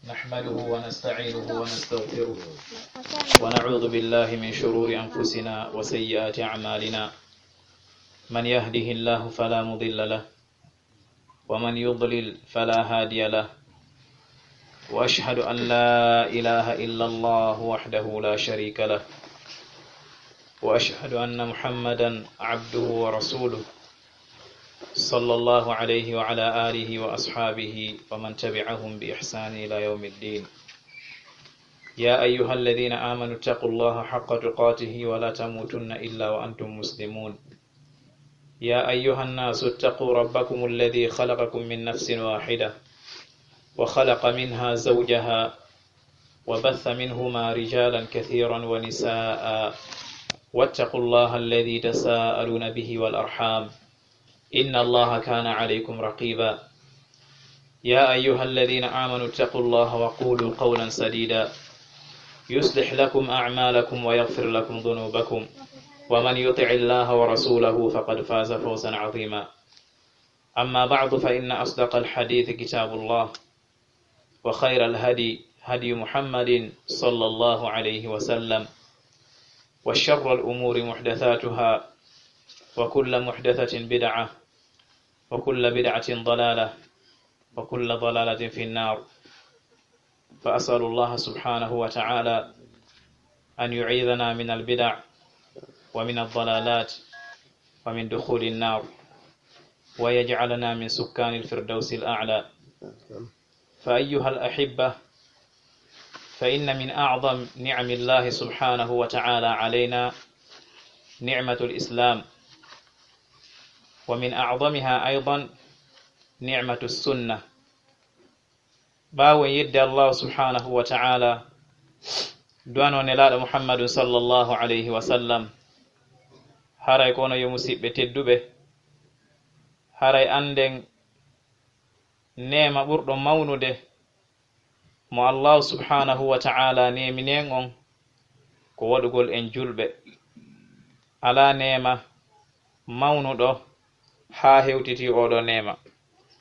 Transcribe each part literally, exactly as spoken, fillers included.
نحمده ونستعينه ونستغفره، ونعوذ بالله من شرور أنفسنا وسيئات أعمالنا. من يهده الله فلا مضل له، ومن يضلل فلا هادي له. وأشهد أن لا إله إلا الله وحده لا شريك له، وأشهد أن محمدا عبده ورسوله، صلى الله عليه وعلى آله وأصحابه ومن تبعهم بإحسان إلى يوم الدين. يا أيها الذين آمنوا اتقوا الله حق تقاته ولا تموتن إلا وأنتم مسلمون. يا أيها الناس اتقوا ربكم الذي خلقكم من نفس واحدة وخلق منها زوجها وبث منهما رجالا كثيرا ونساء، واتقوا الله الذي تساءلون به والأرحام، إن الله كان عليكم رقيبا. يا أيها الذين آمنوا اتقوا الله وقولوا قولا سديدا، يصلح لكم أعمالكم ويغفر لكم ذنوبكم، ومن يطع الله ورسوله فقد فاز فوزا عظيما. أما بعد، فإن أصدق الحديث كتاب الله، وخير الهدي هدي محمد صلى الله عليه وسلم، وشر الأمور محدثاتها، وكل محدثة بدعة، وكل بدعة ضلالة، وكل ضلالة في النار. فأسأل الله سبحانه وتعالى أن يعيذنا من البدع ومن الضلالات ومن دخول النار، ويجعلنا من سكان الفردوس الأعلى. فأيها الأحبة، فإن من أعظم نعم الله سبحانه وتعالى علينا نعمة الإسلام، ومن أعظمها أيضا نعمة السنة. Ɓaawo en yedde Allahu subhanahu wa ta'ala, du'ano nelaaɗo Muhammadun sallallahu alayhi wa sallam, haray ko onon yo musiɓɓe tedduɓe, haray annden neema ɓurɗo mawnude mo Allahu subhanahu wa ta'ala neemini en on, ko waɗugol en julɓe. Alaa neema mawnuɗo haa hewtiti oɗo neema.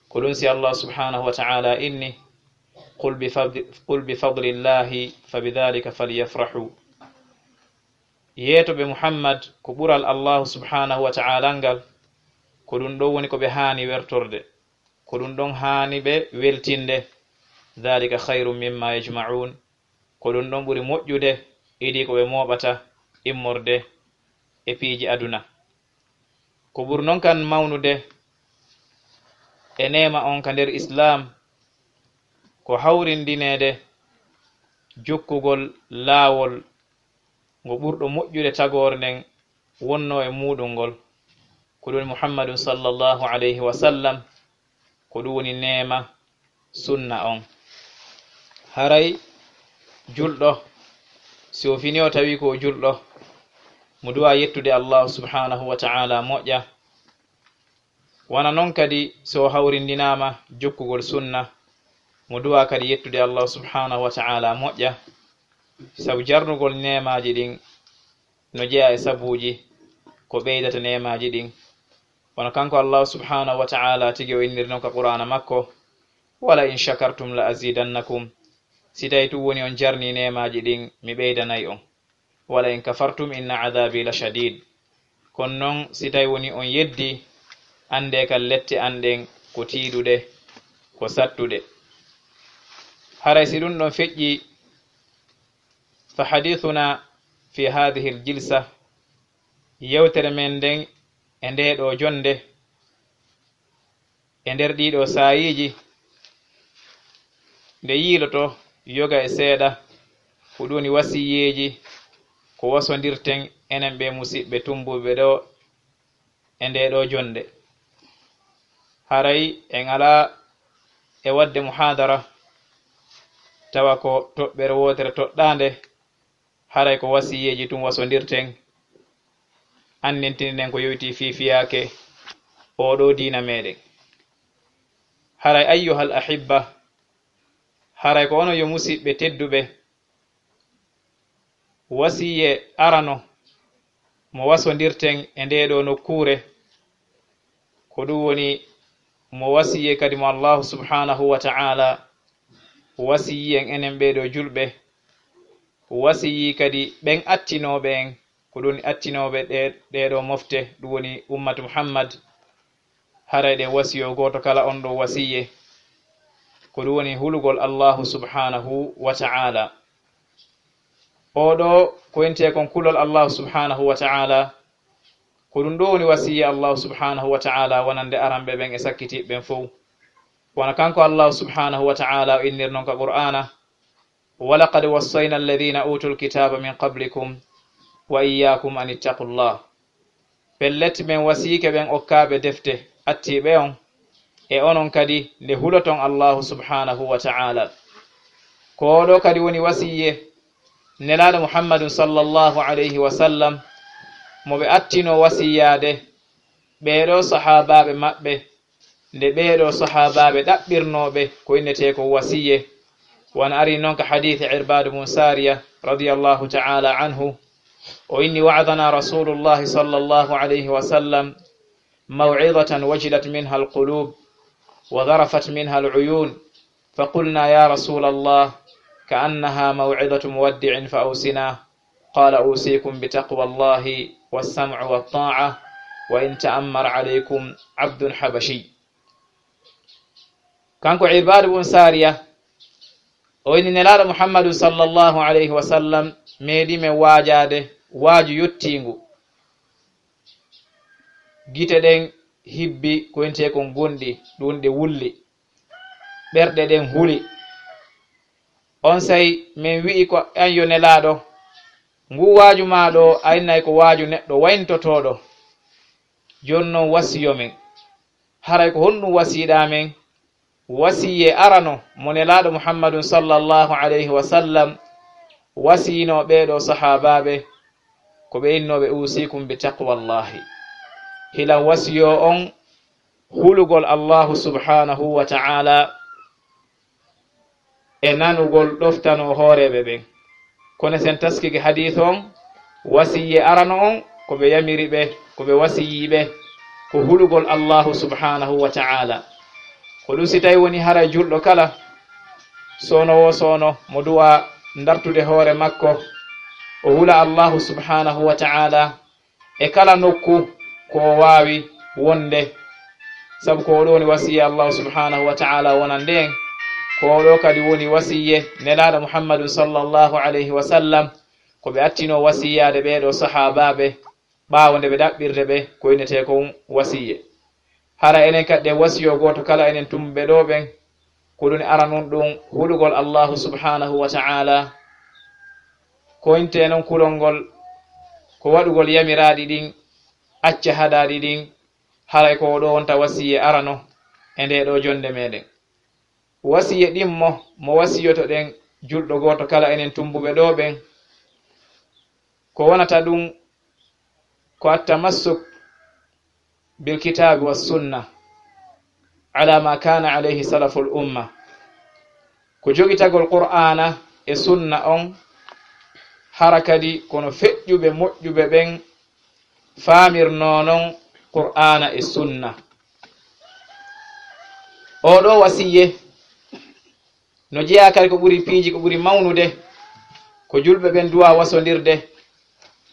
Ko ɗum si Allah subhanahu wa ta'ala inni, "Qul bi fadli, qul bi fadlillahi fa bidhalika falyafrahu." Yeetoɓe Muhammad ko ɓural Allahu subhanahu wa ta'ala ngal, ko ɗum ɗo woni ko ɓe haani wertorde, ko ɗum ɗon haani ɓe weltinde. "Dhalika khayrun mimma yajma'un." Ko ɗum ɗon ɓuri moƴƴude, idii ko ɓe mooɓata immorde e piiji aduna. Ko ɓuri non kan mawnude e neema on ka nder Islaam, ko hawrindineede jokkugol laawol ngo ɓurɗo moƴƴude tagoore nden wonnoo e muuɗum ngol, ko ɗum woni Muhammadun sallallahu alayhi wa sallam, ko ɗum woni neema sunna on. Haray julɗo, si o fini o tawi ko o julɗo, mo du'a yettude Allahu subhanahu wa ta'ala moƴƴa. Wano non kadi, si o hawrindinaama jokkugol sunna, mo du'a kadi yettude Allahu subhanahu wa ta'ala moƴƴa, sabu jarnugol neemaaji ɗin no jeyaa e sabuuji ko ɓeydata neemaaji ɗin. Wano kanko Allahu subhanahu wa ta'ala tigi o inniri non ka Qur'aana makko, "Wala in shakartum la azidannakum." Si tawi tun woni on jarni neemaaji ɗin, mi ɓeydanay on. "Wala in kafartum inna adhabi la shadid." Kono non, si tawi woni on yeddi, anndee kan lette an ɗen ko tiiɗuɗe, ko sattuɗe. Haray si ɗum ɗon feƴƴi, fa hadithuna fi hadhihi al jilsa, yewtere men nden e ndee ɗoo jonnde, e nder ɗii ɗoo saayiiji, nde yiiloto yoga e seeɗa, ko ɗum woni wasiyeeji ko wasondirten enen ɓee musiɓɓe tumbuɓe ɗoo e ndee ɗoo jonnde. Haray en alaa e waɗde muhaadara tawa ko toɓɓere wootere toɗɗaande, haray ko wasiyeeji tun wasondirten, anndintinen ko yowitii fii fiyaake oo ɗoo diina meɗen. Haray, ayyuhal ahibba, haray ko onon yo musiɓɓe tedduɓe, wasiye arano mo wasondirten e ndee ɗoo nokkuure, ko ɗum woni mo wasiye kadi mo Allahu subhanahu wa ta'ala wasiyi en enen ɓeeɗo julɓe, wasiyi kadi ɓen attinooɓe en, ko ɗun attinooɓe ɗe, ɗeeɗo mofte, ɗun woni ummatu Muhammad, haray ɗe wasiyo gooto kala on ɗo wasiye, ko ɗun woni hulugol Allahu subhanahu wa ta'ala. Oo ɗo ko intee kon kulol Allahu subhanahu wa ta'ala, ko ɗun ɗo woni wasiye Allahu subhanahu wa ta'ala wonande aranɓe ɓen e sakkitiiɓe ɓen fow. Wano kanko Allahu subhanahu wa ta'ala o innir non ka Qur'aana, "Wa laqad wassayna alladhina utul kitaba min qablikum wa iyyakum an ittaqullah." Pellet, men wasiike ɓen okkaaɓe defte attiiɓe on, e onon kadi nde huloton Allahu subhanahu wa ta'ala. Ko oo ɗo kadi woni wasiye Nelaaɗo Muhammadun sallallahu alayhi wa sallam, mo ɓe attinoo wasiyaade ɓee ɗoo sahaabaaɓe maɓɓe, nde ɓee ɗoo sahaabaaɓe ɗaɓɓirnoo ɓe ko innetee ko wasiye. Wano arii non ka hadiisi Irbaadu bun Saariya radiyallahu ta'ala anhu, o inni: "Wa'adhana Rasulullahi sallallahu alayhi wa sallam maw'idhatan wajilat minha al-qulub wa dharafat minha al-uyun, fa qulna: ya Rasulallah, ka'annaha maw'idhatu muwaddi'in, fa awsina." Qala: "Usikum bi taqwallahi was-sam'i wat-ta'a, wa in ta'ammara alaykum abdun habashi." Kanko Irbaadu bun Saariya, o inni Nelaaɗo Muhammadu sallallahu alayhi wa sallam meeɗii men waajaade waaju yottiingu. Gite ɗen hibbi ko intee kon gonɗi, ɗun ɗe wulli. Ɓerɗe ɗen huli. Onsay men wi'i ko an yo Nelaaɗo, nguu waaju maa ɗoo, a innay ko waaju neɗɗo wayntotooɗo. Jooni non wasiyo men. Haray ko honɗun wasiyiɗaa men? Wasiye arano mo Nelaaɗo Muhammadun sallallahu alayhi wa sallam wasiyinoo ɓee ɗoo sahaabaaɓe, ko ɓe innooɓe: "Usikum bi taqwallahi." Hilan wasiyoo on hulugol Allahu subhanahu wa ta'ala e nanugol ɗoftanoo hooreeɓe ɓen. Kono sen taskike hadiis on, wasiyye arano on, ko ɓe yamiri ɓe, ko ɓe wasiyii ɓe, ko hulugol Allahu subhanahu wa ta'ala. Ko ɗun si tawi woni haray julɗo kala, soono wo soono, mo du'a ndartude hoore makko, o hula Allahu subhanahu wa ta'ala, e kala nokku ko o waawi wonde, sabu ko oo ɗoo woni wasiyye Allahu subhanahu wa ta'ala wonande en, ko oo ɗoo kadi woni wasiyye Nelaaɗo Muhammadun sallallahu alayhi wa sallam, ko ɓe attinoo wasiyyaade ɓee ɗoo sahaabaaɓe ɓaawo nde ɓe ɗaɓɓirde ɓe ko innetee kon wasiyye. Hara enen kadi ɗen wasiyoo gooto kala enen tumbuɓe ɗoo ɓen, ko ɗun aranun ɗun hulugol Allahu subhanahu wa ta'ala, ko intee non kulol ngol, ko waɗugol yamiraaɗi ɗin, acca haɗaaɗi ɗin, haray ko oo ɗoo wonta wasiyye arano e ndee ɗoo jonnde meɗen. Wasiyye ɗimmo mo wasiyotoɗen julɗo gooto kala enen tumbuɓe ɗoo ɓen, ko wonata ɗun ko at-tamassuk bil kitaabi was sunna ala ma kana alayhi salaful umma. Ko jogitagol Qur'aana e sunna on, hara kadi kono feƴƴuɓe moƴƴuɓe ɓen faamirnoo non Qur'aana e sunna. Oo ɗoo wasiyye no jeyaa kadi ko ɓuri piiji, ko ɓuri mawnude, ko julɓe ɓen duwaa wasondirde,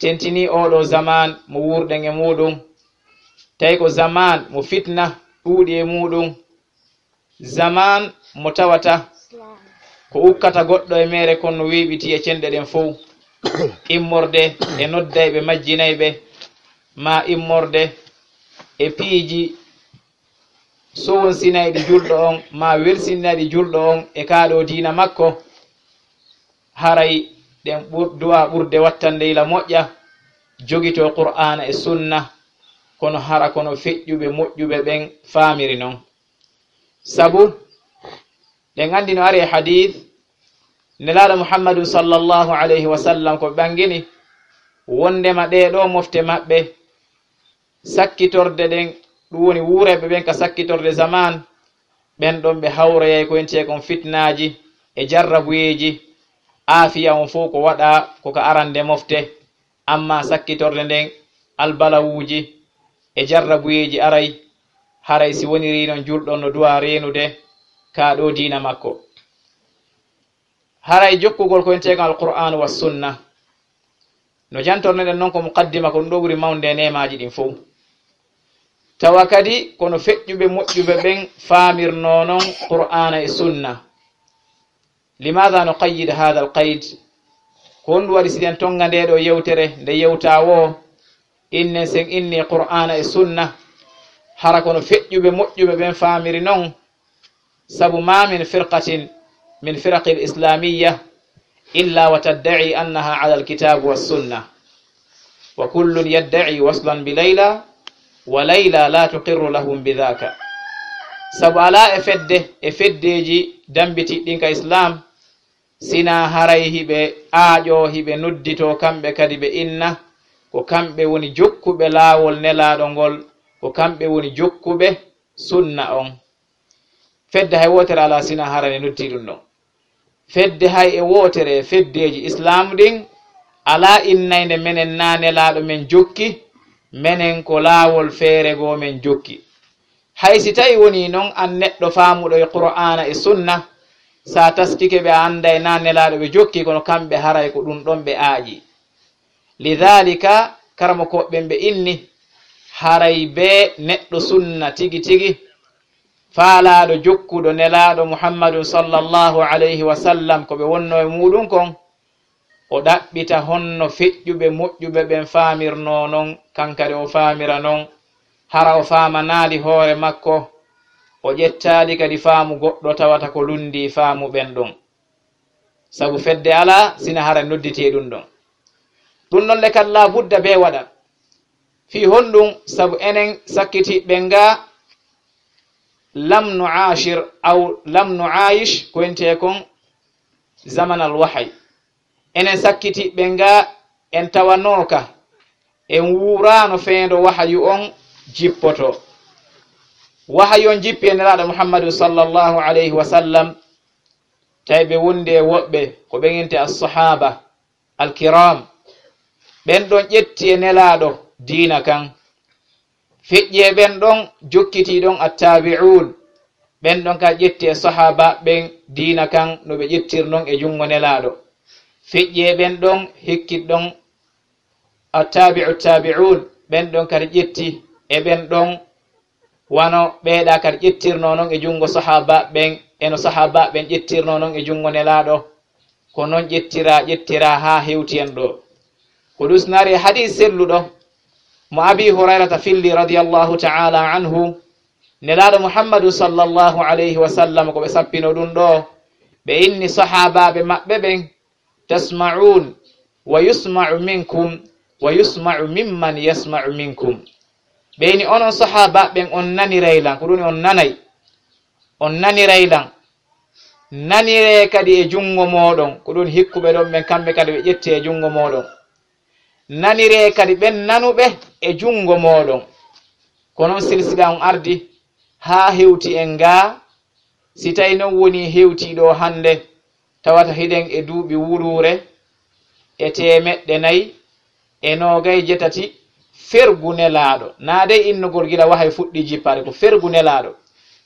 tentinii oo ɗoo zamaan mo wuurɗen e muuɗun, tawi ko zamaan mo fitna ɗuuɗi e muuɗun, zamaan mo tawata ko ukkata goɗɗo e meere kon no weeɓitii e cenɗe ɗen fow, immorde e noddayɓe majjinayɓe, maa immorde e piiji sowonsinayɗi julɗo on, maa welsinayɗi julɗo on e kaa ɗoo diina makko, haray ɗen ɓur-, duwaa ɓurde wattande yila moƴƴa, jogitoo Qur'aana e Sunna, kono hara kono feƴƴuɓe moƴƴuɓe ɓen faamiri non. Sabu, ɗen anndi no ari e hadiis, Nelaaɗo Muhammadu sallallahu alayhi wa sallam ko ɓangini wonndema ɗee ɗoo mofte maɓɓe, sakkitorde ɗen, ɗun woni wuurayɓe ɓen ka sakkitorde zamaan, ɓen ɗon ɓe hawroyay ko entee kon fitnaaji e jarrabuyeeji, aafiya on fow ko waɗaa ko ka arande mofte, ammaa sakkitorde nden albalawuuji e jarrabuyeeji aray, Haray si woniri non julɗo no duwa reenude ka ɗo diina makko. Haray jokkugol ko enteegal Alqur'aanu wa Sunna, no jantornoɗen non ko muqaddima, ko ɗum ɗo ɓuri mawnde e neemaaji ɗin fow. Tawa kadi kono feƴƴuɓe moƴƴuɓe ɓen faamirnoo non Qur'aana e Sunna. Limaada nuqayyid haadal qayd? Ko honɗum waɗi siɗen tonnga ndee ɗoo yewtere, nde yewtaa woo, innen sen inni Qur'aana e Sunna, hara kono feƴƴuɓe moƴƴuɓe ɓen faamiri non? Sabu ma min firqatin min firaqil islamiyya illa wa tadda'i annaha ala alkitabi wassunna. Wa kullun yadda'i waslan bi Layla, wa Layla la tuqirru lahum bi dhaka. Sabu alaa e fedde e feddeeji dambitiɗɗin ka Islam, sinaa haray hiɓe aaƴoo, hiɓe nodditoo kamɓe kadi ɓe inna ko kamɓe woni jokkuɓe laawol Nelaaɗo ngol, ko kamɓe woni jokkuɓe sunna on. Fedde hay wootere alaa sinaa hara ne noddi ɗum ɗon. Fedde hay e wootere e feddeeji Islaamu ɗin alaa innaynde menen na Nelaaɗo men jokki, menen ko laawol feere goo men jokki. Hay si tawi wonii non an neɗɗo faamuɗo e Qur'aana e Sunna, si a taskike ɓe a annday na Nelaaɗo ɓe jokki, kono kamɓe haray ko ɗum ɗon ɓe aaƴi. Lidaalika, karamokooɓe ɓen ɓe inni, haray bee neɗɗo sunna tigi tigi, faalaaɗo jokkuɗo Nelaaɗo Muhammadun sallallahu alayhi wa sallam ko ɓe wonnoo e muuɗum kon, o ɗaɓɓita honno feƴƴuɓe moƴƴuɓe ɓen faamirnoo non, kan kadi o faamira non, hara o faamanaali hoore makko, o ƴettaali kadi faamu goɗɗo tawata ko lunndii faamu ɓen ɗon. Sabu fedde alaa, sina hara nodditee ɗum ɗon. Ɗum ɗon le kadi laa budda bee waɗa. Fii honɗum? Sabu enen sakkitiiɓe ɓen gaa, lam nu aashir aw lam nu aayish, ko wiyetee kon zamanal wahay. Enen sakkitiiɓe ɓen gaa, en tawanooka, en wuuraano feendo wahayu on jippotoo. Wahayu on jippi e Nelaaɗo Muhammadu sallallahu alayhi wa sallam, tawi ɓe wondi e woɓɓe, ko ɓen innetee as-sahaaba al-kiraam. Ɓen ɗon ƴetti e Nelaaɗo diina kan. Feƴƴi e ɓen ɗon jokkitii ɗon attaabi'uun, ɓen ɗon ka ƴetti e sahaaba ɓen diina kan no ɓe ƴettir non e junngo Nelaaɗo. Feƴƴi e ɓen ɗon hikkit ɗon attaabi'u taabi'uun, ɓen ɗon kadi ƴetti e ɓen ɗon wano ɓeeɗa kadi ƴettirnoo non e junngo sahaaba ɓen, e no sahaaba ɓen ƴettirnoo non e junngo Nelaaɗo. Ko non ƴettiraa, ƴettiraa haa hewti en ɗoo. Ko ɗum sinari e hadiis selluɗo mo Abii Hurayrata filli radiyallahu ta'ala anhu, Nelaaɗo Muhammadu sallallahu alayhi wa sallam ko ɓe sappino ɗum ɗoo, ɓe inni sahaabaaɓe maɓɓe ɓen, tasma'uun wa yusma'u minkum wa yusma'u mimman yasma'u minkum. Ɓe inni onon sahaabaaɓe ɓen on naniray lan, ko ɗum on nanay, on naniray lan. Naniree kadi e junngo mooɗon, ko ɗum hikkuɓe ɗon ɓen, kamɓe kadi ɓe ƴetti e junngo mooɗon. Naniree kadi ɓen nanuɓe e junngo mooɗon. Ko non silsila on ardi haa hewti en gaa. Si tawi non wonii hewtii ɗoo hannde, tawata hiɗen e duuɓi wuluure e teemeɗɗe nayi e noogay jetati fergu Nelaaɗo. Naa dey innogol gila wahay fuɗɗii jippaade, ko fergu Nelaaɗo.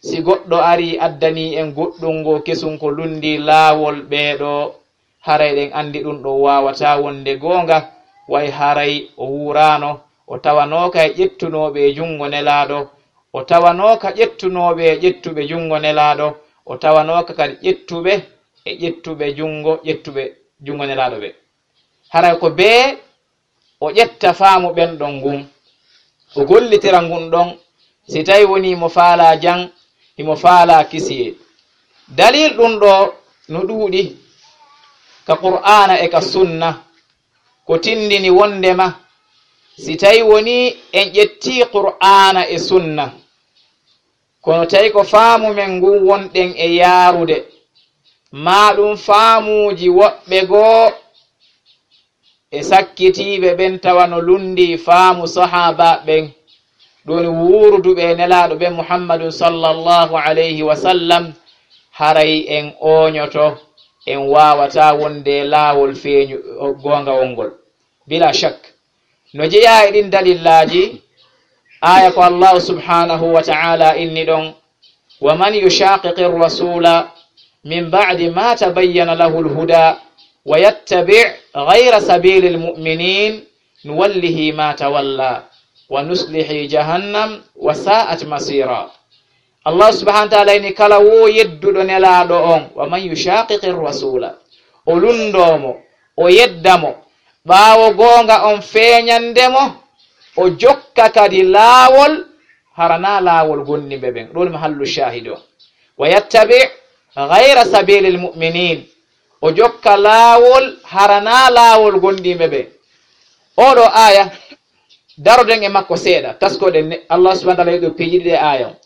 Si goɗɗo arii addanii en goɗɗun goo kesun ko lunndii laawol ɓee ɗoo, haray ɗen anndi ɗum ɗoo waawataa wonde goonga, way haray o wuuraano, o tawanooka e ƴettunooɓe e junngo Nelaaɗo, o tawanooka ƴettunooɓe e ƴettuɓe junngo Nelaaɗo, o tawanooka kadi ƴettuɓe e ƴettuɓe junngo, ƴettuɓe junngo Nelaaɗo ɓe. Haray ko bee o ƴetta faamu ɓen ɗon ngun, o gollitira ngun ɗon, si tawi wonii mo faalaa jam, himo faalaa kisiyee. Dalil ɗum ɗoo no ɗuuɗi ka Qur'aana e ka Sunna, ko tindini wondema si tawi wonii en ƴettii Qur'aana e Sunna, kono tawi ko faamu men ngun wonɗen e yaarude, maa ɗum faamuuji woɓɓe goo e sakkitiiɓe ɓen tawa no lunndii faamu sahaaba ɓen, ɗum woni wuuruduɓe e Nelaaɗo ɓen Muhammadun sallallahu alayhi wa sallam, haray en ooñoto, en waawataa wonde e laawol feeñu, goongawol ngol. Bilaa shak, no jeyaa e ɗin dalillaaji, Aya ko Allahu subhanahu wa ta'ala inni ɗon, "Wa man yushaqiqir rasula min ba'di ma tabayyana lahul huda wa yattabi' ghayra sabilil mu'minin nuwallihi ma tawalla wa nuslihi jahannam wa sa'at masira." Allah subhanahu wa ta'ala inni, kala wo yedduɗo Nelaaɗo on, "Wa man yushaqiqir rasula," o lunndoo mo, o yedda mo, ɓaawo goonga on feeñande mo, o jokka kadi laawol hara naa laawol gonndiɓe ɓen. Ɗum mahallu shahid o. "Wa yattabi' ghayra sabilil mu'minin," o jokka laawol hara naa laawol gonndiɓe ɓen. Oɗo aya, daroɗen e makko seeɗa, taskoɗen ne, Allah subhanahu wa ta'ala yeɗɗo piiji ɗiɗi e aya on.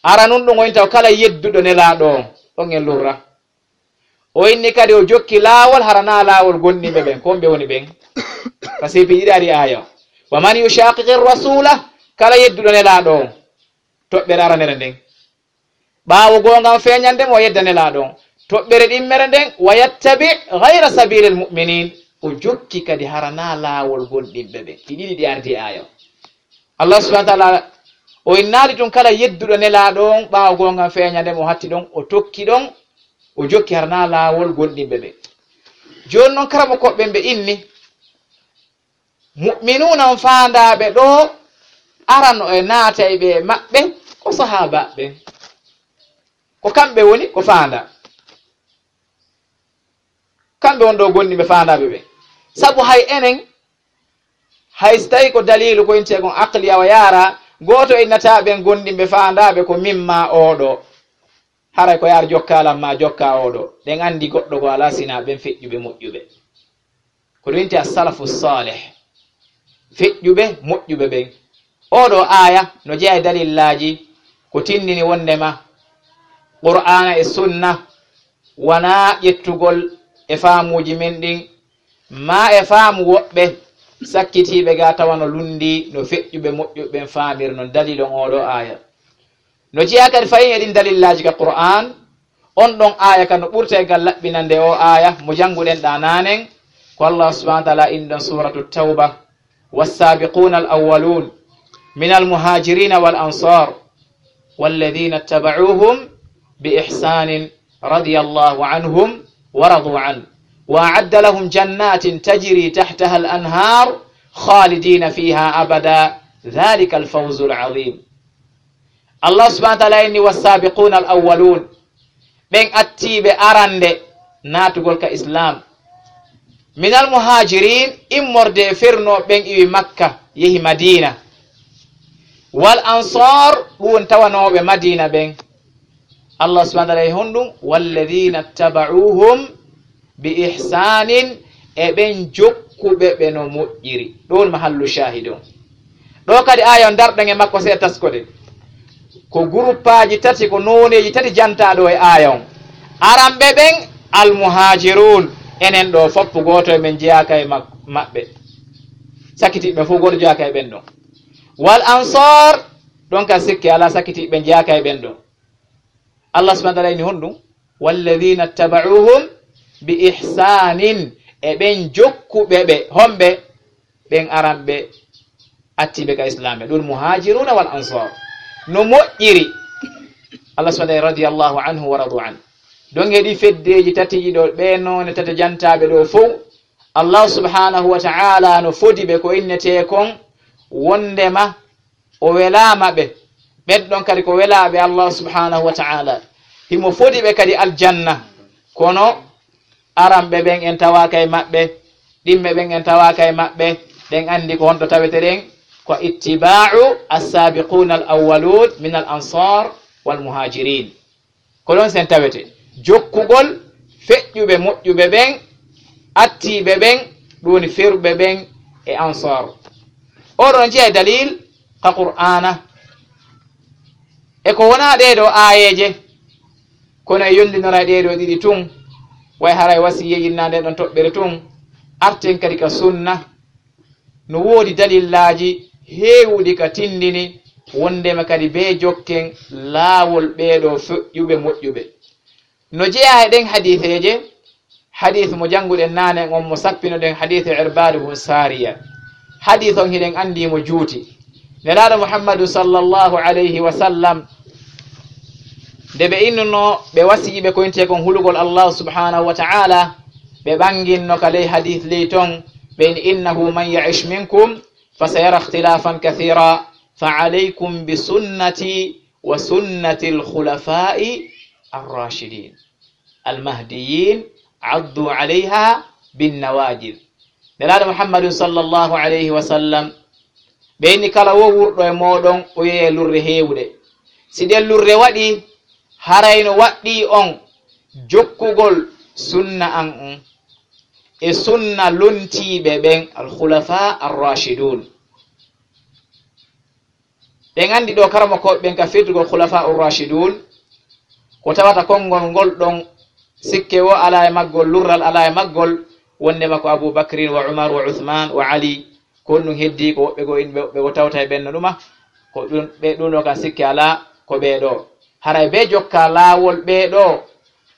Ara nun ɗum woni taw kala yedduɗo Nelaaɗo on, on en lurra. O inni kadi o jokki laawol hara naa laawol gonndiɓe ɓen. Ko on ɓe woni ɓen? Parce que piiji ɗiɗi ari aya on. "Wa man yushaqiqir rasula," kala yedduɗo Nelaaɗo on, toɓɓere aranere nden. Ɓaawo goonga on feeñande mo, o yedda Nelaaɗo on. Toɓɓere ɗimmere nden, "Wa yattabi' ghayra sabilil mu'minin," o jokki kadi hara naa laawol gonndiɓe ɓen. Ɗi ɗiɗi ɗi ardi e aya on. Allah subhanahu wa ta'ala o innaali tun kala yedduɗo Nelaaɗo on, ɓaawo goonga on feeñande mo, o hatti ɗon, o tokki ɗon, o jokki hara naa laawol gonndiɓe ɓen. Jooni non, karamokooɓe ɓen ɓe inni, mu'minuuna on faandaaɓe ɗo, arano e naata e ɓe maɓɓe, ko sahaaba ɓen. Ko kamɓe woni ko faanda. Kamɓe won ɗo gonndiɓe faandaaɓe ɓen. Sabu hay enen, hay si tawi ko daliilu ko intee kon aqliya wa yaara, gooto e naata ɓen gonndiɓe faandaaɓe ko min maa oɗo. Haray ko yaar jokka lan maa jokka oɗo. Ɗen anndi goɗɗo ko alaa sinaa ɓen feƴƴuɓe moƴƴuɓe. Ko ɗum inti as-salafu salih, feƴƴuɓe moƴƴuɓe ɓen. Oɗo aya no jeyaa e dalillaaji ko tindini wondema Qur'aana e Sunna wanaa ƴettugol e faamuuji men ɗin, maa e faamu woɓɓe sakkitiiɓe ga tawa no lunndii no feƴƴuɓe moƴƴuɓe ɓen faamiri non. Dalil on oɗo aya. No jeyaa kadi fahin e ɗin dalillaaji ka Qur'aan, on ɗon aya ka no ɓurta e gal laɓɓinande o aya mo jannguɗen ɗa naanen, ko Allah subhanahu wa ta'ala inni ɗon Suratu Tawba, "Was-sabiquna al-awwalun min al-muhajirina wal ansar, walladhina ittaba'uhum bi ihsanin radiyallahu anhum wa radu an, wa a'adda lahum jannatin tajri tahtaha al-anhar khalidina fiha abada, dhalika al-fawzu al-azim." Allah subhanahu wa ta'ala inni, "Was-sabiquna al-awwalun," ɓen attiiɓe arande naatugol ka Islam, "minal muhajirin," immorde e fernooɓe ɓen iwi Makka, yehi Madina, "wal ansar," ɗum woni tawanooɓe Madina ɓen. Allah subhanahu wa ta'ala e honɗum? "Walladhina ittaba'uhum bi ihsanin," e ɓen jokkuɓe ɓe no moƴƴiri. Ɗo woni mahallu shahid on. Ɗo kadi aya on darɗen e makko seeɗa taskoɗen. Ko guruppaaji tati, ko nooneeji tati jantaa ɗo e aya on. Aranɓe ɓen, al muhajirun, enen ɗo foppu gooto e men jeyaaka e mak-, maɓɓe. Sakitiiɓe ɓen fof gooto jeyaaka e ɓen ɗon. Wal ansar, ɗon ka sikke alaa, sakitiiɓe ɓen jeyaaka e ɓen ɗon. Allah subhanahu wa ta'ala inni honɗum? "Walladhina ittaba'uhum bi ihsanin," e ɓen jokkuɓe ɓe, homɓe? Ɓen aranɓe attiiɓe ka Islam ɓe, ɗum muhajiruna wal ansar. No moƴƴiri. Allah subhanahu wa ta'ala, radiyallahu anhu wa radu an. Ɗon e ɗi feddeeji tati ɗiɗo, ɓe noone tati jantaaɓe ɗo fow, Allah subhanahu wa ta'ala no fodi ɓe ko innetee kon wondema o welaama ɓe. Ɓen ɗon kadi ko welaaɓe Allah subhanahu wa ta'ala. Himo fodi ɓe kadi aljanna. Kono aranɓe ɓen en tawaaka e maɓɓe, ɗimɓe ɓen en tawaaka e maɓɓe, ɗen anndi ko honto tawete ɗen? Ko ittiba'u as-sabiquna al-awwalun min al-ansar wal muhajirin. Ko ɗon sen tawete jokkugol feƴƴuɓe moƴƴuɓe ɓen, attiiɓe ɓen, ɗum woni ferɓe ɓen e ansar. Oɗon jeya dalil ka Qur'aana. E ko wonaa ɗee ɗoo aayeeje, kono e yondinora e ɗee ɗoo ɗiɗi tun, way haray wasiyee innaa ndee ɗon toɓɓere tun, arten kadi ka sunna, no woodi dalillaaji heewuɗi ka tindini wondema kadi bee jokken laawol ɓee ɗoo feƴƴuɓe moƴƴuɓe. No jeyaa e ɗen hadiiseeje, hadiis mo jannguɗen naane on, mo sappinoɗen, hadiisu Irbaadu bun Saariya. Hadiis on hiɗen anndi mo juuti. Nelaaɗo Muhammadu sallallahu alayhi wa sallam, nde ɓe innuno, ɓe wasiyi ɓe koynte kon hulugol Allahu subhanahu wa ta'ala, ɓe ɓanginno ka ley hadith ley ton, ɓe inni, "Innahu man ya'ish minkum fa sayara ikhtilafan kathira, fa alaykum bi sunnati wa sunnati al-khulafa'i ar-rashidin." Almahdiyin, addu alayha binnawajid. Nelaaɗo Muhammadun sallallahu alayhi wa sallam, ɓe inni kala wo wurɗo e mooɗon, o yeeye lurre heewuɗe. Si ɗen lurre waɗi, harayno waɗɗii on jokkugol sunna an on e sunna lontiiɓe ɓen, alkhulafa arrashidun. Ɗen anndi ɗo karamokooɓe ɓen ka firtugol khulafa urrashidun, ko tawata konngol ngol ɗon, sikke wo alaa e maggol, lurral alaa e maggol, wonndema ko Abu Bakrin wa Umar wa Uthman wa Ali, ko honɗum heddii, ko woɓɓe goo, inɓe woɓɓe goo tawta e ɓen no ɗuma, ko ɗum, ɓe ɗum ɗo kan sikke alaa, ko ɓee ɗoo. Haray ɓe jokka laawol ɓee ɗoo,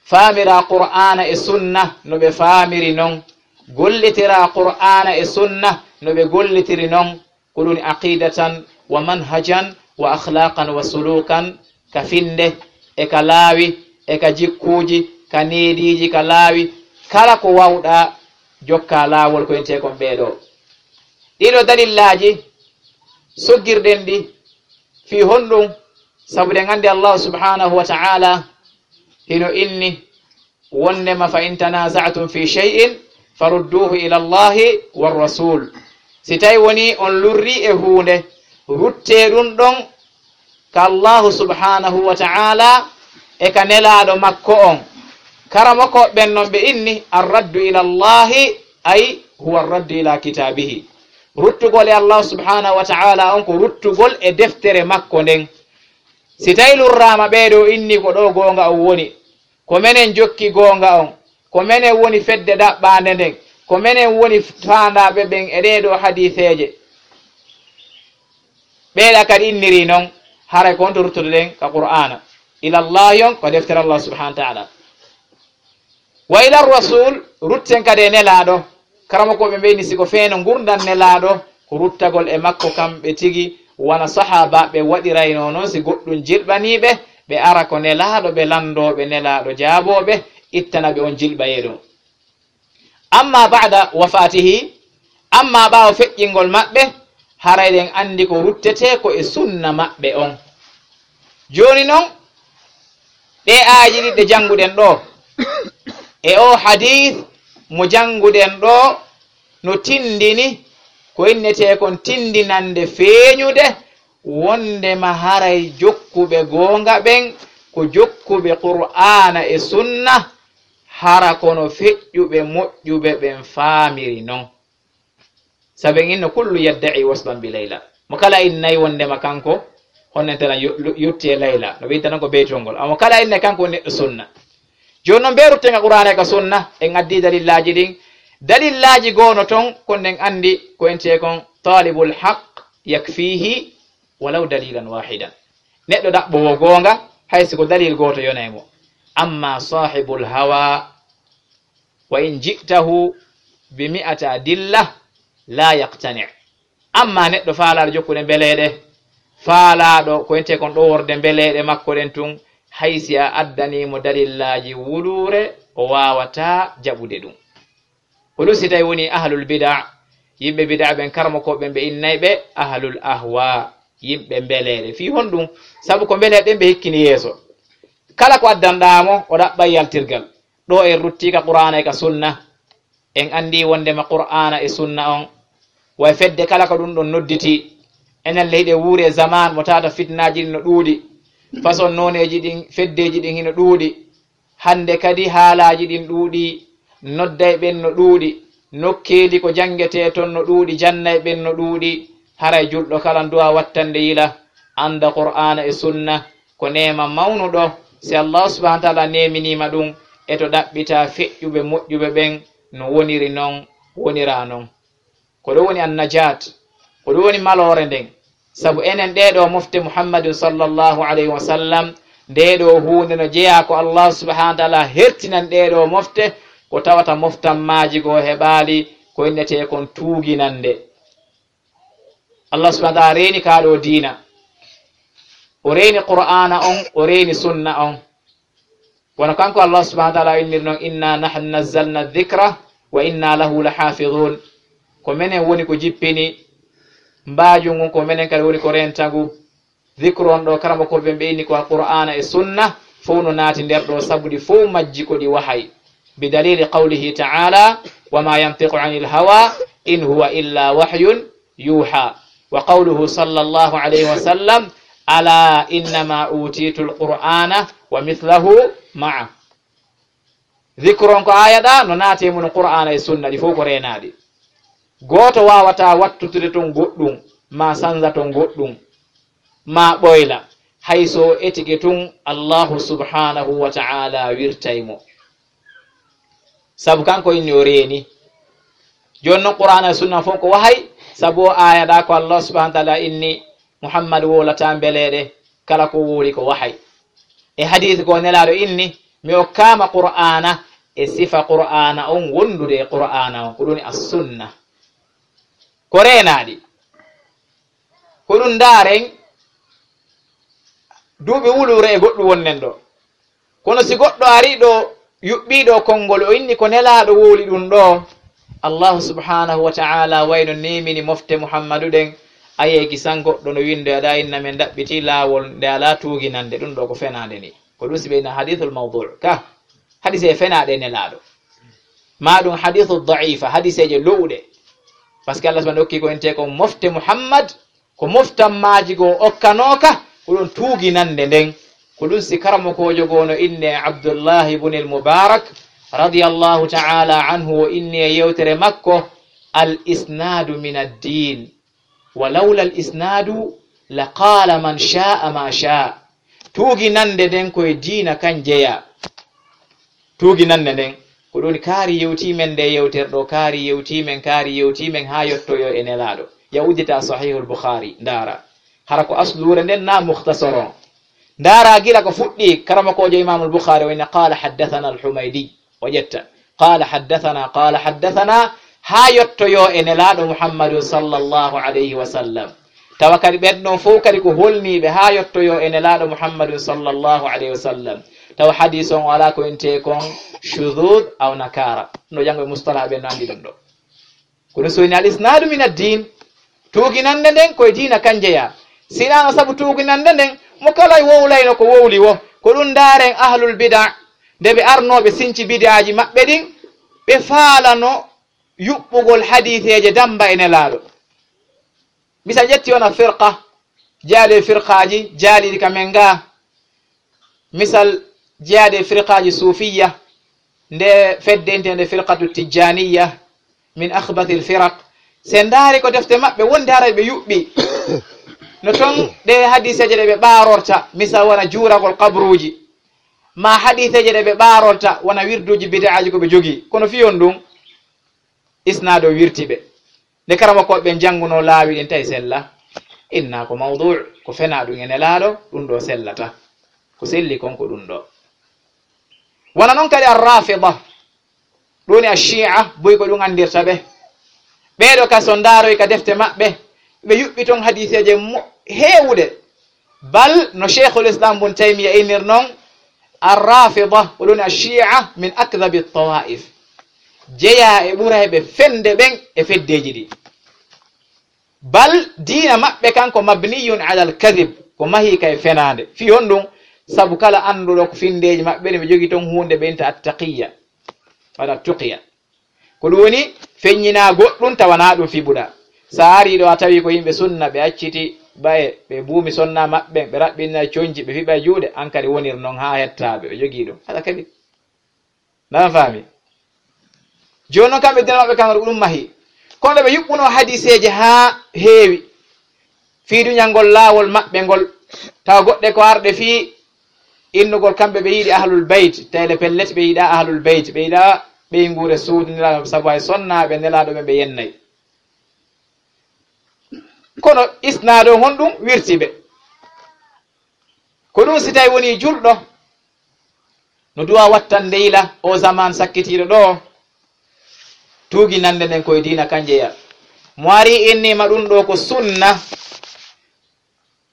faamira Qur'aana e Sunna no ɓe faamiri non, gollitira Qur'aana e Sunna no ɓe gollitiri non, ko ɗum aqidatan wa manhajan wa akhlaqan wa sulukan, ka finnde e ka laawi e ka jikkuuji, ka neediiji, ka laawi, kala ko waawɗaa jokka laawol ko entee kon ɓee ɗoo. Ɗii ɗoo dalillaaji soggirɗen ɗi fii honɗum? Sabu ɗen anndi Allahu subhanahu wa ta'ala hino inni, wonndema, "Fa in tanaza'tum fi shay'in farudduhu ila Allahi war rasul." Si tawi woni on lurri e huunde, ruttee ɗum ɗon ka Allahu subhanahu wa ta'ala e ka Nelaaɗo makko on. Karamokooɓe ɓen non ɓe inni, "Arraddu ila Allahi, ay huwa arraddu ila kitabihi." Ruttugol e Allahu subhanahu wa ta'ala on ko ruttugol e deftere makko nden. Si tawi lurraama ɓee ɗoo inni ko ɗoo goonga on woni, ko menen jokki goonga on, ko menen woni fedde ɗaɓɓaande nden, ko menen woni faandaaɓe ɓen e ɗee ɗoo hadiiseeje, ɓee ɗaa kadi inniri non, haray ko on to ruttotoɗen ka Qur'aana. Ila Allahi on ko deftere Allah subhanahu wa ta'ala. Wa ila rasul, rutten kadi e Nelaaɗo. Karamokooɓe ɓe inni si ko feeno ngurndan Nelaaɗo, ko ruttagol e makko kamɓe tigi, wano sahaabaaɓe waɗiraynoo non. Si goɗɗum jilɓanii ɓe, ɓe ara ko Nelaaɗo, ɓe lanndoo ɓe Nelaaɗo jaaboo ɓe, ittana ɓe on jilɓayee ɗon. Amma ba'da wafatihi, amma ɓaawo feƴƴingol maɓɓe, haray ɗen anndi ko ruttetee ko e sunna maɓɓe on. Jooni non, ɗee aayeeji ɗiɗi ɗe jannguɗen ɗoo, e oo hadiis mo jannguɗen ɗoo, no tinndini ko innetee kon tinndinannde feeñude, wonndema haray jokkuɓe goonga ɓen ko jokkuɓe Qur'aana e Sunna, hara kono feƴƴuɓe moƴƴuɓe ɓen faamiri non. Sabu en inno kullu yadda'i waslan bi Layla. Mo kala innay wonndema kanko, honnen tana yo-, lu-, yotti e Layla. No ɓe inta non ko beytol ngol. Amma mo kala innay kanko woni neɗɗo sunna. Jooni non, mbe rutten ka Qur'aana e ka Sunna, en addi dalillaaji ɗin. Dalillaaji goo no ton, kon ɗen anndi ko entee kon, talibul haqq yakfihi walaw dalilan wahidan. Neɗɗo ɗaɓɓoowo goonga, hay si ko dalil gooto yonay mo. Amma sahibul hawa, wa in ji'tahu bi mi'ati adilla, la yaqtani'. Amma neɗɗo faalaaɗo jokkude mbeleeɗe, faalaaɗo ko entee kon ɗoworde mbeleeɗe makko ɗen tun, hay si a addanii mo dalillaaji wuluure, o waawataa jaɓude ɗum. Ko ɗum si tawi woni ahlul bida', yimɓe bida' ɓen, karamokooɓe ɓen ɓe innay ɓe ahlul ahwa, yimɓe mbeleeɗe. Fii honɗum? Sabu ko mbeleeɗe ɗen ɓe hikkini yeeso. Kala ko addanɗaa mo, o ɗaɓɓay yaltirgal. Ɗoo en ruttii ka Qur'aana e ka Sunna. En anndi wonndema Qur'aana e Sunna on, way fedde kala ko ɗum ɗon nodditii. Enen le hiɗen wuuri e zamaan mo tawata fitnaaji ɗin no ɗuuɗi. Façon nooneeji ɗin, feddeeji ɗin hino ɗuuɗi. Hannde kadi haalaaji ɗin ɗuuɗi, nodday ɓen no ɗuuɗi, nokkeeli ko janngetee ton no ɗuuɗi, jannay ɓen no ɗuuɗi. Haray julɗo kala nduwa wattande yila, annda Qur'aana e Sunna ko neema mawnuɗo. Si Allaahu subhaanahu wa ta'aalaa neeminii ma ɗum, e to ɗaɓɓitaa feƴƴuɓe moƴƴuɓe ɓen no woniri non, woniraa non. Ko ɗum woni an-najaat, ko ɗum woni maloore nden. Sabu enen ɗee ɗoo mofte Muhammadun sallallahu alayhi wa sallam, ndee ɗoo huunde no jeyaa ko Allaahu subhaanahu wa ta'aalaa hertinan ɗee ɗoo mofte, ko tawata moftammaaji goo heɓaali ko innetee kon tuuginannde. Allah subhanahu wa ta'ala reeni kaa ɗoo diina. O reeni Qur'aana on, o reeni sunna on. Wano kanko Allah subhanahu wa ta'ala innir non, "Inna nahnu nazzalna dhikra wa inna lahu lahafidhun." Ko menen woni ko jippini mbaajun ngun, ko menen kadi woni ko reenta ngu. Dhikru on ɗoo, karamokooɓe ɓen ɓe inni ko Alqur'aana e sunna, fow no naati nder ɗoo, sabu ɗi fow majji ko ɗi wahay. Bi dalili qawlihi ta'ala, "Wa ma yantiqu anil hawa, in huwa illa wahyun yuha." Wa qawluhu sallallahu alayhi wa sallam, "Ala innama utitu alqur'ana wa mithlahu ma'a." Dhikru on ko aaya ɗaa, no naati e mun Qur'aana e sunna, ɗi fow ko reenaaɗi. Gooto waawataa wattutude ton goɗɗun, maa sanza ton goɗɗun, maa ɓoyla, hay so o etike tun Allahu subhanahu wa ta'ala wirtay mo. Sabu kanko inni o reeni. Jooni non Qur'aana e sunna fow ko wahay, sabu o aaya ɗaa ko Allah subhanahu wa ta'ala inni Muhammad wowlataa mbeleeɗe, kala ko wowli ko wahay. E hadiisi ko Nelaaɗo inni, mi okkaama Qur'aana e sifa Qur'aana on wondude e Qur'aana on, ko ɗun woni as-sunna. Ko reenaaɗi. Ko ɗun ndaaren duuɓi wuluure e goɗɗun wonnen ɗoo. Kono si goɗɗo arii ɗoo, yuɓɓii ɗoo konngol, o inni ko Nelaaɗo wowli ɗun ɗoo, Allahu subhanahu wa ta'ala wayno neemini mofte Muhammadu ɗen, ayee kisan goɗɗo no winndoya ɗaa inna men ɗaɓɓitii laawol nde alaa tuuginannde, ɗun ɗoo ko fenaande nii. Ko ɗun si ɓe inna hadiisul mawdu', ka hadiisee fenaaɗe e Nelaaɗo. Maa ɗun hadiisu da'ifa, hadiiseeje lo'uɗe. Parce que Allah subhanahu okkii ko entee kon mofte Muhammad, ko moftammaaji goo okkanooka, ko ɗun tuuginannde nden. Ko ɗun si karamokoojo goo no innee Abdullahi ibn al-Mubarak, radiyallahu ta'ala anhu, o inni e yewtere makko, "Al isnadu min ad-din, wa lawla al isnadu la qala man sha'a ma sha'a." Tuuginannde nden ko e diina kan jeyaa. Tuuginannde nden, ko ɗun woni kaari yewtii men nde yewtere ɗoo, kaari yewtii men, kaari yewtii men haa yottoyoo e Nelaaɗo. Ya uddita Sahihul Bukhari, ndaara. Hara ko asluure nden naa mukhtasar on. Ndaara gila ko fuɗɗii, karamokoojo Imaamul Bukhari o inna, "Qala haddathana al-Humaydi." O ƴetta, "Qala haddathana, qala haddathana," haa yottoyoo e Nelaaɗo Muhammadun sallallahu alayhi wa sallam. Tawa kadi ɓen ɗon fow kadi ko holniiɓe haa yottoyoo e Nelaaɗo Muhammadun sallallahu alayhi wa sallam. Tawa hadiis on o alaa ko intee kon shudud aw nakara. No janngo e mustalah ɓen no anndi ɗun ɗoo. Kono so woni al isnadu min ad-din, tuuginannde nden ko e diina kan jeyaa. Si hinaa non sabu tuuginannde nden, mo kala wowlayno ko wowli woo. Ko ɗun ndaaren ahlul bida', nde ɓe arnoo ɓe sinci bid'aaji maɓɓe ɗin, ɓe faalano yuɓɓugol hadiiseeje damba e Nelaaɗo. Misal ƴetti wona firqa, jeyaade e firqaaji jaaliiɗi ka men gaa. Misal jeyaade e firqaaji suufiyya, nde fedde inteende firqatu tijjaniyya, min akhbathil firaq. Si en ndaari ko defte maɓɓe wonde haray ɓe yuɓɓi. No ton ɗe hadiiseeje ɗe ɓe ɓaarorta, misal wona juuragol qabruuji, maa hadiiseeje ɗe ɓe ɓaarorta wona wirduuji bid'aaji ko ɓe jogii. Kono fii on ɗun, isnaado wirti ɓe. Nde karamokooɓe ɓen janngunoo laawi ɗin tawi sella, inna ko mawdu', ko fenaa ɗun e Nelaaɗo, ɗun ɗoo sellata. Ko selli kon ko ɗun ɗoo. Wona non kadi Ar-Rafida, ɗun woni Ash-Shi'a, buy ko ɗun anndirta ɓe. Ɓee ɗoo ka so ndaaroy ka defte maɓɓe, ɓe yuɓɓi ton hadiiseeje mo-, heewuɗe. Bal no Sheikhul Islam Ibn Taymiya innir non, Ar-Rafida, ko ɗun Ash-Shi'a min akdhabi at-tawa'if. Jeyaa e ɓurayɓe fende ɓen e feddeeji ɗi. Bal diina maɓɓe kan ko mabniyun ala al-kadhib, ko mahii ka e fenaande. Fii honɗun? Sabu kala annduɗo ko finndeeji maɓɓe ɗin, ɓe jogii ton huunde ɓe inta at-taqiyya, walla tuqiya. Ko ɗun woni feññinaa goɗɗun tawa naa ɗun fiɓuɗaa. Si a arii ɗoo a tawii ko yimɓe sunna, ɓe acciti baye, ɓe buumi sonna maɓɓe, ɓe raɓɓinay conci, ɓe fiɓay juuɗe, an kadi wonir non haa hettaa ɓe, ɓe jogii ɗun. Hada kadi. Naa faami? Jooni non kamɓe diina maɓɓe kan ko ɗun mahii. Kono ɓe yuɓɓunoo hadiiseeje haa heewi. Fii duñangol laawol maɓɓe ngol, tawa goɗɗe ko arɗe fii innugol kamɓe ɓe yiɗi Ahlul Bayt, tawi le pellet ɓe yiɗaa Ahlul Bayt, ɓe yiɗaa ɓeynguure suudu Nelaaɗo, sabu hay sonnaaɓe Nelaaɗo ɓen ɓe yennay. Kono isnaado honɗun wirti ɓe? Ko ɗun si tawi wonii julɗo, no duwaa wattande yila oo zamaan sakkitiiɗo ɗoo, tuuginannde nden ko e diina kan jeyaa. Mo ari inni ma ɗum ɗo ko sunna,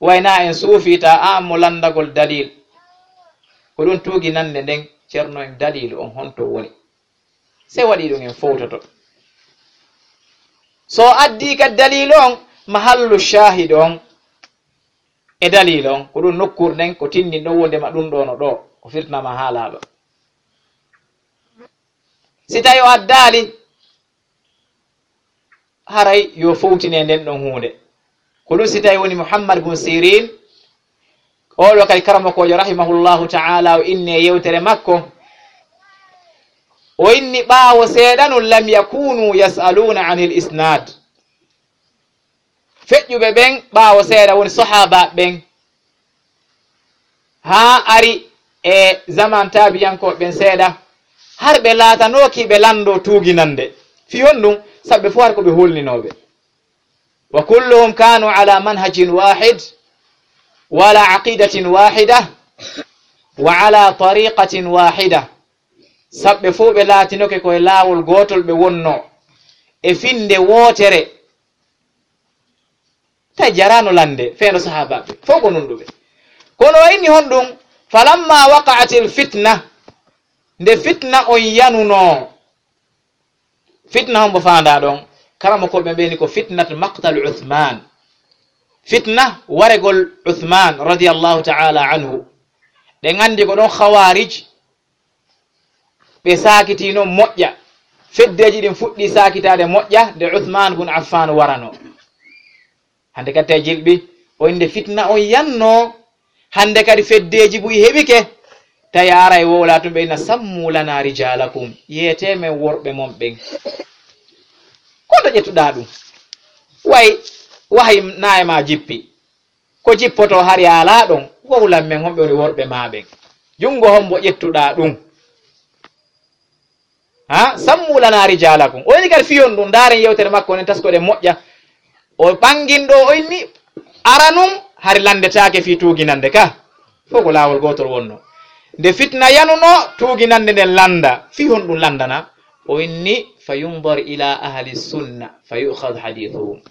wayna en suufiita, a mo lanndagol dalil. Ko ɗum tuugi nande nden, ceerno en dalil on honto woni? Se waɗi ɗum en fowtoto. So addi ka dalil on, mahallu shahid on e dalil on, ko ɗum nokkur nden ko tinndin ɗo wonde ma ɗum ɗo no ɗo, ko firtana ma haala ɗo. Si tawi o addaali, haray yo fowtine nden ɗon huunde. Ko ɗum si tawi woni Muhammad bun Sirin, oɗo kadi karamokoojo rahimahullahu ta'ala, o inni e yewtere makko, o inni ɓaawo seeɗa nun, "Lam yakunu yas'aluna anil isnad." Feƴƴuɓe ɓen ɓaawo seeɗa woni sahaaba ɓen, haa ari e zaman taabiyankooɓe ɓen seeɗa, har ɓe laatanooki ɓe lanndo tuuginande. Fii honɗum? Sabu ɓe fof har ko ɓe hulninooɓe. Wa kulluhum kanu ala manhajin wahid, wa ala aqidatin wahida, wa ala tariqatin wahida. Sabu ɓe fof ɓe laatinoke ko e laawol gootol ɓe wonnoo, e finnde wootere. Tawi jaraano lande feeno sahaabaaɓe fof ko nunɗuɓe. Kono o inni honɗum? "Falamma waqa'atil fitna," nde fitna on yanunoo. Fitna hombo faandaa ɗon? Karamokooɓe ɓe ni ko fitnat maqtal Uthman. Fitna waregol Uthman radiyallahu ta'ala anhu. Ɗen anndi ko ɗon Khawarij ɓe saakitiino moƴƴa. Feddeeji ɗin fuɗɗii saakitaade moƴƴa nde Uthman bun Affan waranoo. Hannde kadi tawi jilɓi, o innde fitna on yannoo. Hannde kadi feddeeji buy heɓike. Tawi a ara e wowla tun ɓe inna, "Sammu lana rijalakum." Yeetee men worɓe mon ɓen. Ko to ƴettuɗaa ɗum? Way, wahay naye ma jippi. Ko jippoto hari alaa ɗon, wowlan men honɓe woni worɓe maa ɓen. Junngo hombo ƴettuɗaa ɗum? Ha? "Sammu lana rijalakum." O inni kadi fiyon ɗum, ndaaren yewtere makko nden, taskoɗen moƴƴa. O ɓangin ɗo, o inni aranun hari landetaake fii tuuginande ka. Fof ko laawol gootol wonno. Nde fitna yanuno, tuuginande nden landa. Fii honɗum landana? O inni, "Fa yundar ila ahli sunna, fa yu'khad hadithuhum."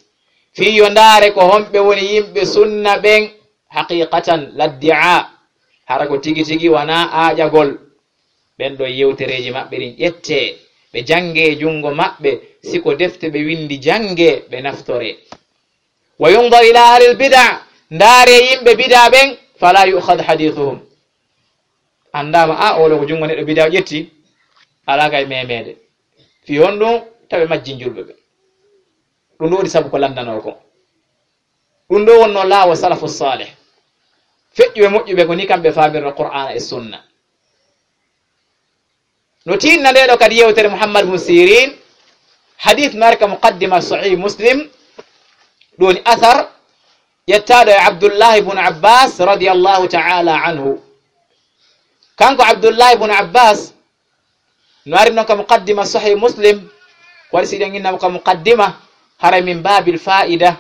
Fii yo ndaare ko honɓe woni yimɓe sunna ɓen, haqiqatan, laddi'a, hara ko tigi tigi wanaa aaƴagol. Ɓen ɗo yewtereeji maɓɓe ɗin ƴettee, ɓe janngee e junngo maɓɓe, si ko defte ɓe winndi janngee, ɓe naftoree. "Wa yundar ila ahlil bida," ndaare yimɓe bida ɓen, "fala yu'khad hadithuhum." Anndaama, a, oɗo ko junngo neɗɗo bida o ƴetti, alaa kay memeede. Fii honɗum? Tawi majjin julɓe ɓe. Ɗum ɗo woni sabu ko landanoo ko. Ɗum ɗo wonno laawo salafu salih. Feƴƴuɓe moƴƴuɓe ko ni kamɓe faamirno Qur'aana e Sunna. No tiinna nde ɗo kadi yewtere Muhammad bun Sirin, hadith no ari ka muqaddima Sahih Muslim, ɗum woni athar ƴettaaɗo e Abdullahi bun Abbas radiyallahu ta'ala anhu. Kanko Abdullahi bun Abbas, no ari non ka muqaddima Sahih Muslim, ko waɗi si ɗen innama ka muqaddima, haray min babil fa'ida.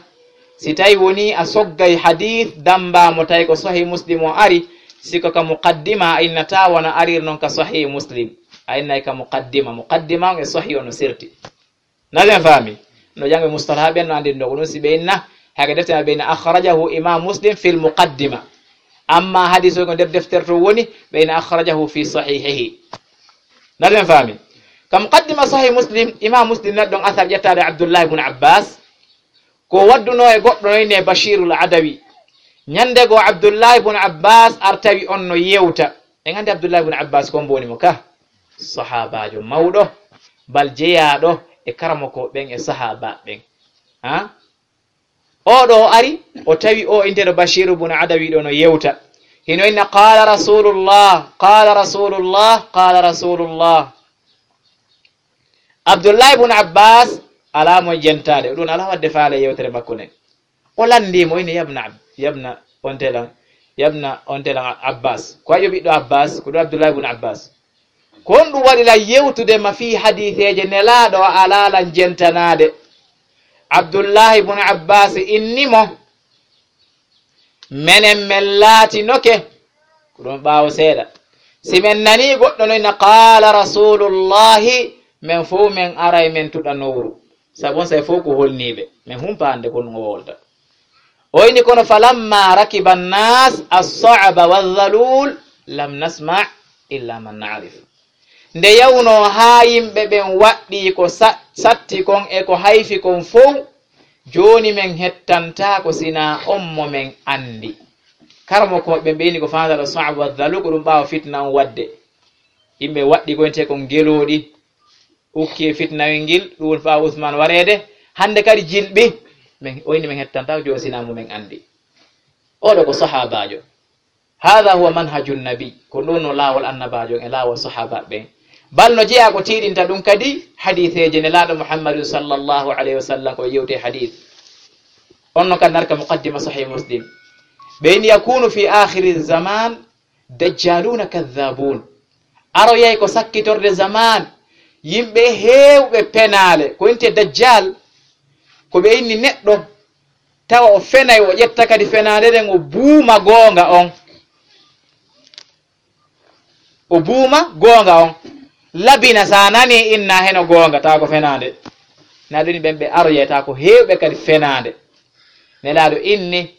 Si tawi woni a soggay hadith damba mo tawi ko Sahih Muslim o ari, si ko ka muqaddima a innata wona arir non ka Sahih Muslim. A innay ka muqaddima. Muqaddima on e Sahih on no serti. Na ɓen faami? No jangɓe mustalaha ɓen no anndiri ɗo ko ɗum si ɓe inna, hake defte maɓɓe inna akhrajahu Imam Muslim fil muqaddima. Amma hadis o ko nder deftere to woni, ɓe inna akhrajahu fi sahihihi. Na ɓen faami? Ka muqaddima Sahih Muslim, Imam Muslim na ɗon athar ƴettaade Abdullah ibn Abbas, ko wadduno e goɗɗo no inne Bashirul Adawi. Ñande goo Abdullah ibn Abbas ar tawi on no yewta. En anndi Abdullah ibn Abbas ko on mboni mo ka? Sahaabaajo mawɗo, bal jeyaaɗo e karamoko ɓen e sahaaba ɓen. Ha? Oo ɗo o ari, o tawi o inteɗo Bashiru bun Adawi ɗo no yewta. Hino inna, "Qaala Rasulullah, qaala Rasulullah, qaala Rasulullah." Abdullah ibn Abbas alaa mo jentaade, o ɗum alaa waɗde faale yewtere makko nden. O lanndii mo, ine, "Yabna Ab-, yabna on telan, yabna on telan Abbas." Ko ayo ɓiɗɗo Abbas, ko ɗum Abdullah ibn Abbas. Ko honɗum waɗi lan yewtude ma fii hadiiseeje Nelaaɗo, a alaa lan jentanaade? Abdullahi bun Abbas inni mo, "Menen men laatinoke," ko ɗum ɓaawo seeɗa, "si men nanii goɗɗo no inna, 'Qaala Rasulullahi,' men fow men aray men tuɗa nowru." Sabu on say fof ko holniiɓe, min humpaande ko ɗum o wolta. O inni, kono falamma rakiba annas as-sa'ba wa dhalul, lam nasma illa man na'rif. Nde yawnoo haa yimɓe ɓen waɗɗii ko sa-, satti kon e ko hayfi kon fow, jooni men hettantaako sinaa on mo men anndi. Karamokooɓe ɓen ɓe inni ko faandaɗo Sa'b wa Dhalu, ko ɗum ɓaawo fitna on waɗde. Yimɓe waɗɗi ko wi'etee kon gelooɗi, ukki e fitnawel ngel, ɗum woni ɓaawo Usmaan wareede. Hannde kadi jilɓi, men, o inni men hettantaako jooni sinaa mo men anndi. Oɗo ko sahaabaajo. Haadha huwa manhaju nabi, ko ɗum no laawol annabaajo e laawol sahaaba ɓen. Bal no jeyaa ko tiiɗinta ɗum kadi hadiiseeje Nelaaɗo Muhammadun sallallahu alayhi wa sallam ko yewte hadiis. On no kadi narka muqaddima Sahih Muslim. Ɓe inni yakunu fi akhiri zaman dajjaluna kadhabun. Aroyay ko sakkitorde zaman, yimɓe heewɓe penaale, ko wi'etee dajjal, ko ɓe inni neɗɗo tawa o fenay, o ƴetta kadi fenaande nden, o buuma goonga on. O buuma goonga on. Labina, sa nani inna heno goonga, tawa ko fenaande. Na ɗum ɓen ɓe aroyay, tawa ko heewɓe kadi fenaande. Nelaaɗo inni,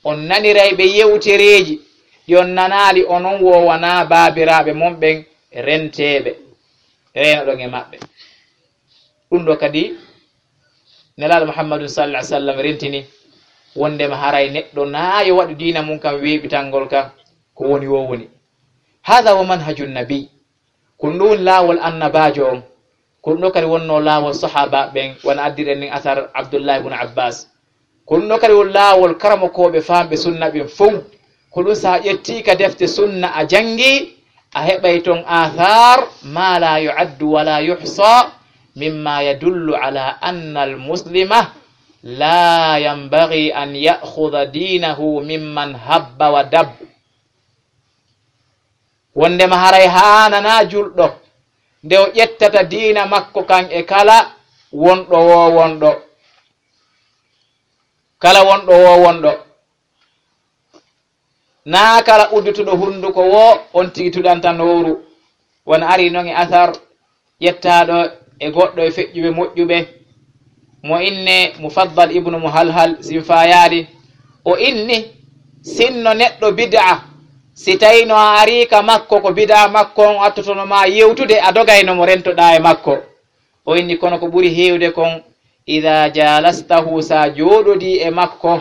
on naniray ɓe yewtereeji, ɗi on nanaali onon wo wanaa baabiraaɓe mon ɓen renteeɓe, reenoɗon e maɓɓe. Ɗum ɗo kadi, Nelaaɗo Muhammadun sallallahu alaihi wasallam rentini wondema haray neɗɗo na yo waɗu diina mum kan weeɓitangol ka ko woni wo woni. Haadha wa manhajun nabi. Ko ɗum ɗo woni laawol annabaajo on. Ko ɗum ɗo kadi wonnoo laawol sahaaba ɓen, wano addiren nin asar Abdullah ibn Abbas. Ko ɗum ɗo kadi woni laawol karamokooɓe faamɓe sunna ɓen fow. Ko ɗum, so a ƴettii ka defte sunna a janngi, a heɓay ton athar ma la yu'addu wa la yuhsa, mimma yadullu ala anna al muslima la yanbaghi an ya'khudha dinahu mimman habba wa dab. Wondema haray haananaa julɗo nde o ƴettata diina makko kan e kala wonɗo wo wonɗo. Kala wonɗo wo wonɗo. Naa kala uddutuɗo hunduko wo on tigi tuɗanta nowru. Wano ari non e asar ƴettaaɗo e goɗɗo e feƴƴuɓe moƴƴuɓe, mo inne Mufaddal ibnu Muhalhal, sin faayaali, o inni, sinno neɗɗo bid'a, si tawii no a arii ka makko ko bid'a makko on attotono ma yewtude, a dogayno mo rentoɗaa e makko. O inni, kono ko ɓuri heewde kon, idaa jaalastahu, sa jooɗodii e makko,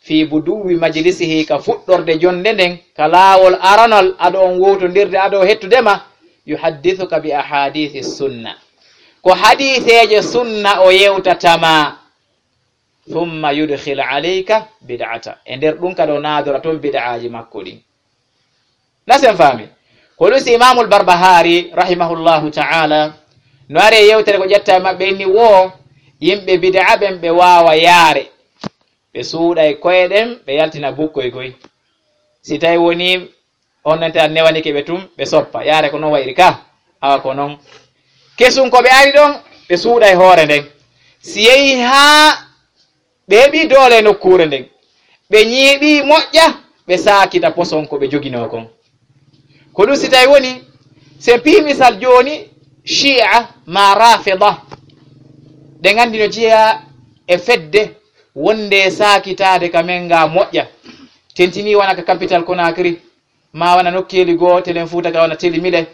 fii buduwi majlisihi, ka fuɗɗorde jonnde nden, ka laawol aranol, ado on wowtondirde, ado hettude ma, yuhaddithuka bi ahadithi sunna. Ko hadiiseeje sunna o yewtata ma. Thumma yudkhil alayka bid'ata. E nder ɗum kadi o naadora toon bid'aaji makko ɗin. Na sen faami? Ko ɗum si Imaamul Barbahari, rahimahullahu ta'ala, no ari e yewtere ko ƴetta e maɓɓe inni wo yimɓe bid'a ɓen ɓe waawa yaare. Ɓe suuɗay koye ɗen, ɓe yaltina bukkoy koy. Si tawi woni on nante an newanike ɓe tun, ɓe soppa. Yaare ko non wayri ka? Awa ko non. Kesun ko ɓe ari ɗon, ɓe suuɗay hoore nden. Si yehi haa ɓe heɓi doole e nokkuure nden, ɓe ñiiɓi moƴƴa, ɓe saakita poson ko ɓe joginoo kon. Ko ɗum si tawi woni, si en piyi misal jooni, Shi'a ma Rafida, ɗen anndi no jeyaa e fedde wonde saakitaade ka men nga moƴƴa. Tentini wona ka capital Conakry, ma wona nokkeeli goo telen Fuuta ga wona Teli Mile,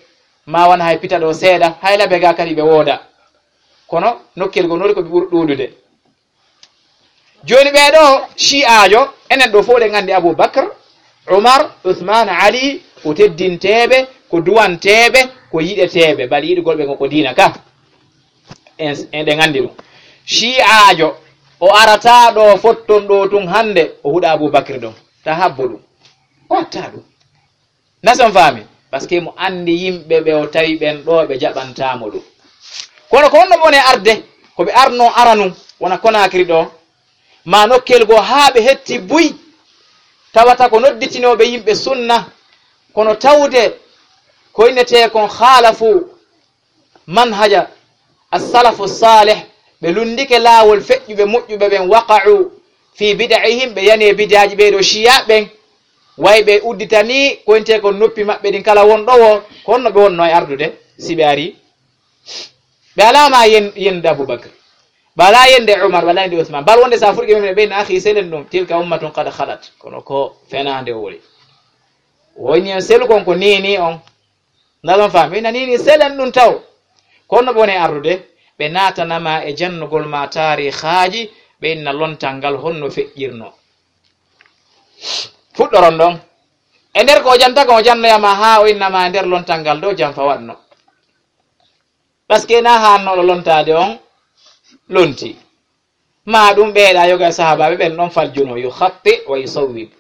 ma wona hay Pita ɗo seeɗa, hay Labe ga kadi ɓe wooda. Kono nokkeeli goo noori ko ɓe ɓuri ɗuuɗude. Jooni ɓee ɗoo Shi'aajo, enen ɗoo fof ɗen anndi Abu Bakr, Umar, Uthman, Ali, ko teddinteeɓe, ko duwanteeɓe, ko yiɗeteeɓe, bali yiɗugol ɓe ko, ko diina ka. En, en ɗen anndi ɗum. Shi'aajo, o arataa ɗoo fotton ɗoo tun hannde, o huɗa Abu Bakr ɗon. Ta habbo ɗum. O wattaa ɗum. Na sen faami? Parce que mo anndi yimɓe ɓe o tawi ɓen ɗoo ɓe jaɓantaa mo ɗum. Kono ko honno ɓe woni arde? Ko ɓe arnoo aranun, wona Conakry ɗoo, ma nokkel goo haa ɓe hetti buy, tawata ko nodditinooɓe yimɓe sunna, kono tawde ko innetee kon khaalafu manhaja as-salafu salih, ɓe lunndike laawol feƴƴuɓe moƴƴuɓe ɓen, waqa'u fi bid'ihim, ɓe yani e bid'aaji ɓee ɗoo Shi'a ɓen, way ɓe udditanii ko innetee kon noppi maɓɓe ɗin kala wonɗo wo, ko honno ɓe wonnoo e ardude si ɓe arii? Ɓe alaa ma yen-, yennude Abu Bakr. Bala yende Umar, bala yende Usman. Bal wonde sa furqi men ɓe na akhi selen ɗum. Tilka ummatun qad khalat. Kono ko fenaande o woni. Woni en selu kon ko nini on. Ndaɗon fami, ina nini selen ɗum taw. Kono ɓe woni ardude, ɓe natanama e jannugol ma taarihaaji, ɓe inna lontal ngal honno feƴƴirno. Fuɗɗoron ɗon. E nder ko o janta kon, o jannoyama haa o innama e nder lontal ngal ɗo janfa waɗno. Parce que na hannoɗo lontade on lonti. Ma ɗum ɓeeɗa yoga e sahabaɓe ɓen ɗon faljuno, yukhatti wa yusawwib.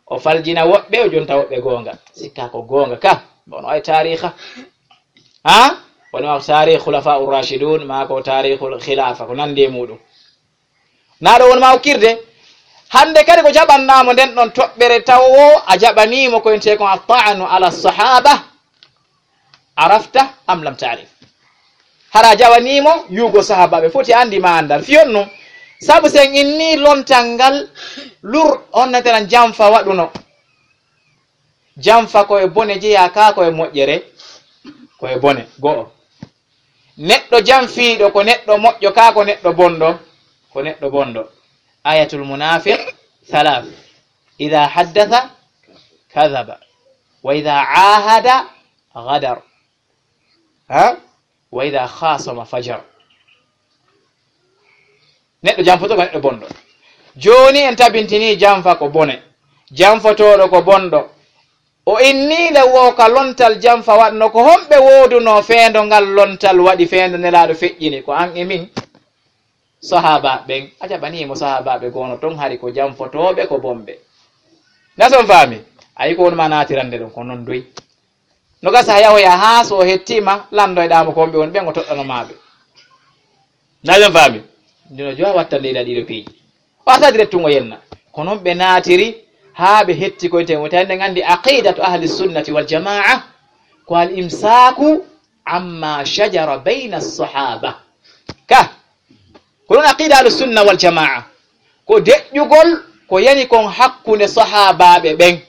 O faljina woɓɓe, o jonta woɓɓe goonga. Sikka ko goonga ka, bono ay taariha. Ha? Woni ma taarih khulafa ur-rashidun, ma ko taarihul khilafa, ko nandi e muɗum. Na ɗo won ma okkirde. Hande kadi ko jaɓannamo nden ɗon toɓɓere taw o a jaɓanimo ko ente kon at-ta'nu ala sahaba. Arafta am lam ta'rif? Hara jawanimo yugo sahabaɓe, foti andi ma andal. Fiyon nu, sabu sen inni lontal ngal lur on natera janfa waɗuno. Janfa ko e bone jeya ka ko e moƴƴere, ko e bone. Go'o. Neɗɗo janfiiɗo ko neɗɗo moƴƴo ka ko neɗɗo bonɗo, ko neɗɗo bonɗo. Ayatul munafiq thalath. Idha haddatha kadhaba. Wa idha ahada ghadar. Ha? Wa idha khasama fajar. Neɗɗo janfoto ko neɗɗo bonɗo. Jooni en tabintini janfa ko bone. Janfotooɗo ko bonɗo. O inni le wo ka lontal janfa waɗno ko homɓe wooduno feendo ngal lontal waɗi feendo nelaaɗo feƴƴini ko an e min. Sahaba ɓen, a jaɓanimo sahabaɓe goono ton hari ko janfotooɓe ko bonɓe. Na son faami? Ayi ko wonma naatirande ɗum ko non doy. No gasa yahoya haa so o hettima landoyɗamo ko wonɓe woni ɓen o toɗɗano maɓe. Na ɓen faami? Ndino jowa wattande ila ɗiɗo piiji. O asadi rettungo yenna. Ko non ɓe naatiri haa ɓe hetti koye ten wota en andi aqidatu ahli sunnati wal jamaa ko al imsaku amma shajara bayna sahaba. Ka ko ɗum aqida ahlu sunna wal jamaa, ko deƴƴugol ko yani kon hakkunde sahaabaaɓe ɓen,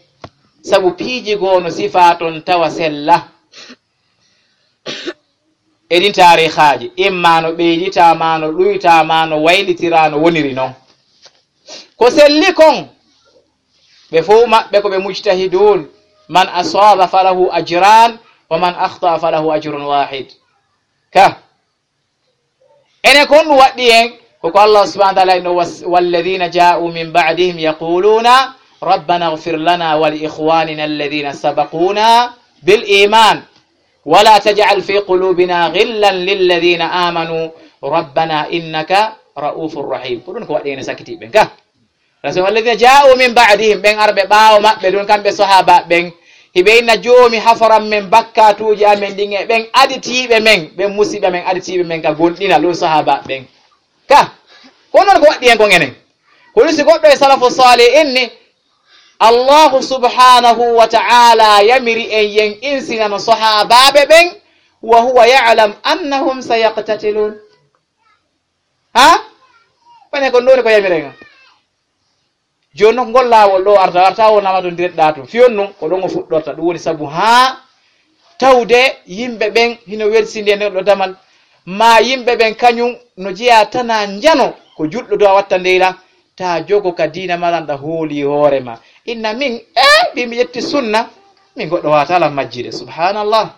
sabu piiji goo no sifaa ton tawa sella. E ɗin taarihaaji, imma no ɓeydita, ma no ɗuyta, ma no waylitira, no woniri non. Ko selli kon, ɓe fow maɓɓe ko ɓe mujtahidun, man asaba falahu ajran, wa man akhta falahu ajrun wahid. Ka Ene kon ɗum waɗɗi en, ko ko Allah subhanahu wa ta'ala inno, "Was-, walladhina ja'u min ba'dihim yaquluna, rabbana ighfir lana wa li ikhwanina alladhina sabaquna bil iman, wa la taj'al fi qulubina ghillan lilladhina amanu, rabbana innaka ra'ufur rahim." Ko ɗum ko waɗɗi en e sakkitiiɓe ɓen ka. Rasul, "Walladhina ja'u min ba'dihim", ɓen arɓe ɓaawo maɓɓe ɗum, kamɓe sahaaba ɓen, hiɓe inna, "Joomi, haforan men bakkatuuji amen ɗin e ɓen aditiiɓe men, ɓen musiɓɓe men aditiiɓe men ka gonɗinal", ɗum sahaaba ɓen. Ka, ko non ko waɗɗi en kon enen. Ko ɗum si goɗɗo e salafu salih inni, Allahu subhanahu wa ta'ala yamiri en yen insinano sahaabaaɓe ɓen, wa huwa ya'lam annahum sayaqtatilun. Ha? Wane ko ndoni ko yamiren. Jooni non ngol laawol ɗo arta, arta wonama ɗon diretɗa tun. Fiyon nun, ko ɗon o fuɗɗorta. Ɗum woni sabu haa tawde yimɓe ɓen hino welsinde e nder ɗo damal. Ma yimɓe ɓen kañum no jeyaa tana njano ko julɗo do a watta ndeyla. Ta jogo ka diina ma lanɗa hooli hoore ma. Inna min, e, mbi mi ƴetti sunna. Min goɗɗo waata lan majjide. Subhanallah.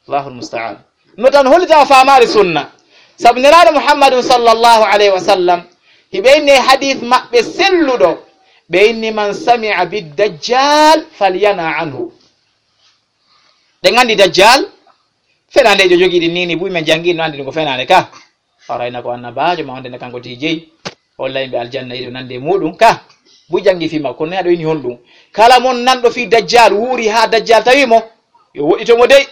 Allahul musta'an. No tan hollita o faamaali sunna. Sabu Nelaaɗo Muhammadun sallallahu alayhi wa sallam, hiɓe inni e hadiis maɓɓe selluɗo, ɓe inni, "Man sami'a bid dajjal falyana anhu." Ɗen anndi dajjal, fenaande jo jogii ɗin ni, ni buy men janngi, no anndi ɗum ko fenaande ka. Arayna ko annabaajo, ma wonde ne kanko tigi jeyi. Holla yimɓe aljanna, yiɗo nande e muɗum ka. Buy janngi fii makko, kono ne aɗo inni honɗum? Kala mon nanɗo fii dajjal, wuuri haa dajjal tawi mo, yo woɗɗito mo dey.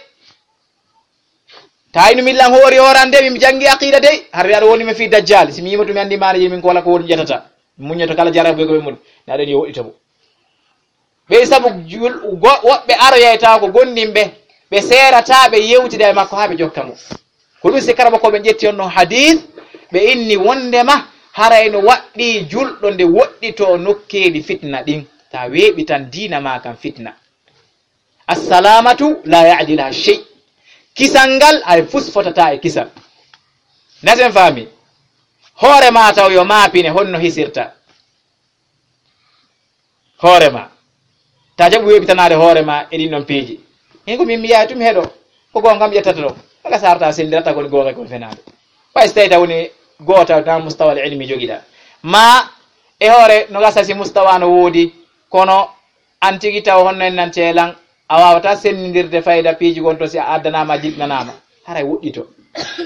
Ta inu millan hoori hoorande, mi janngi aqida dey. Har aɗo woni mi fii dajjal, si mi yima to mi anndi maana je min ko wala ko woni ƴetata. Mi muññoto kala jarabu ko ɓe mun. Ne aɗo ni yo woɗɗito mo. Ɓey sabu jul-, go-, woɓɓe aroyay tawa ko gondimɓe, ɓe seerata, ɓe yewtida e makko haa ɓe jokka mo. Ko ɗum si kara ko ɓe ƴetti on ɗon hadiis, ɓe inni wondema haray no waɗɗi julɗo nde woɗɗito nokkeeli fitna ɗin. Ta weeɓi tan diina ma kan fitna. Assalamatu la ya'diluha shay. Kisal ngal hay fus fotata e kisal. Nasen faami? Hoore ma taw yo maapine honno hisirta. Hoore ma. Ta jaɓu weeɓitanaade hoore ma e ɗin ɗon piiji. Min ko min mi yahay tun mi heɗo. Ko goonga kam ƴettata ɗon. Kala sarta senndirata ko woni goonga ko fenaande. Ɓay so tawi taw woni goota na mustawal ilmi jogiɗa. Ma e hoore no gasa si mustawa no woodi, kono an tigi taw honno en nan teelan, a waawata sennindirde fayda piiji gon to si a addanaama, a jilɓinanaama. Haray woɗɗito.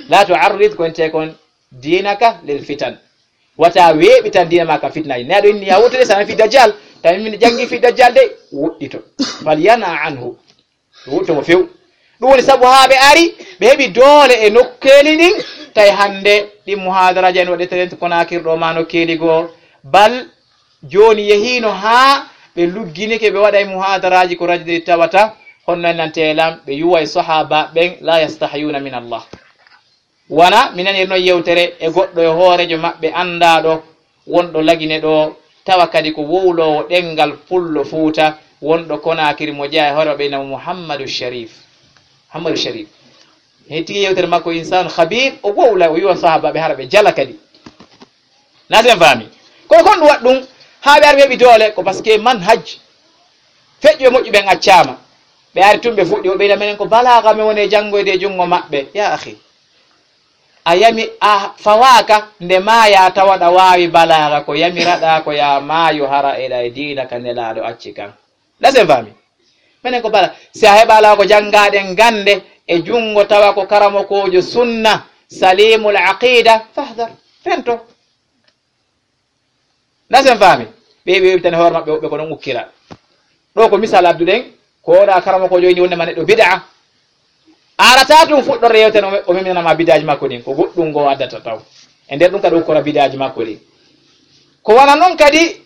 La tu'arrid ko en te kon diinaka lil fitan. Wata weeɓitan diina ma ka fitnaaji. Ne aɗo inni ya wotere sana fi dajjal. Tawi min janngi fi dajjal de, woɗɗito. Fal yana anhu. Woɗɗito mo few. Ɗum woni sabu haa ɓe ari, ɓe heɓi doole e nokkeeli ɗin. Tawi hannde ɗin muhadaraaji en waɗete ɗen to Konaakiri ɗo ma nokkeeli goo. Bal jooni yehiino haa ɓe lugginike ɓe waɗay muhadaraaji ko radio ɗi tawata. Honno en nante lam ɓe yuway sahaaba ɓen, la yastahyuna min Allah. Wona, mi nanir noon yewtere e goɗɗo e hooreejo maɓɓe anndaaɗo, wonɗo Lagine ɗo, tawa kadi ko wowloowo ɗemngal Pullo Fuuta, wonɗo Konaakiri, mo jeyaa e hoore maɓɓe, innamo Muhammadu Sharif. Muhammadu Sharif. Hettike yewtere makko, insaanu khabiir, o wowla, o wiwa sahaabaaɓe hara ɓe jala kadi. Na sen faami? Kono kon ɗum waɗ ɗum, haa ɓe ari ɓe heɓi doole, ko parce que manhaj feƴƴuɓe moƴƴuɓe ɓen accaama. Ɓe ari tun ɓe fuɗɗi, o ɓeyda menen ko balaaga men woni e janngoyde e junngo maɓɓe. Ya akhi, a yami, a fawaaka nde maaya tawa ɗa waawi balaaga, ko yamiraɗaa ko ya maayo hara eɗa e diina ka Nelaaɗo acci kan. Na sen faami? Menen ko bala, si a heɓa alaa ko janngaɗen gannde e junngo tawa ko karamokoojo sunna, salimul aqida, fahdar, fento. Na sen faami? Ɓe ɓe weɓitani hoore maɓɓe woɓɓe ko non ukkira. Ɗo ko misal adduɗen, ko oɗa karamokoojo inni wonde ma neɗɗo bid'a. Arata ɗum fuɗɗorde yewtere o, o meminanama bid'aji makko ɗin, ko goɗɗum ngo addata taw. E nder ɗum kadi ukkora bid'aji makko ɗin. Ko wona non kadi,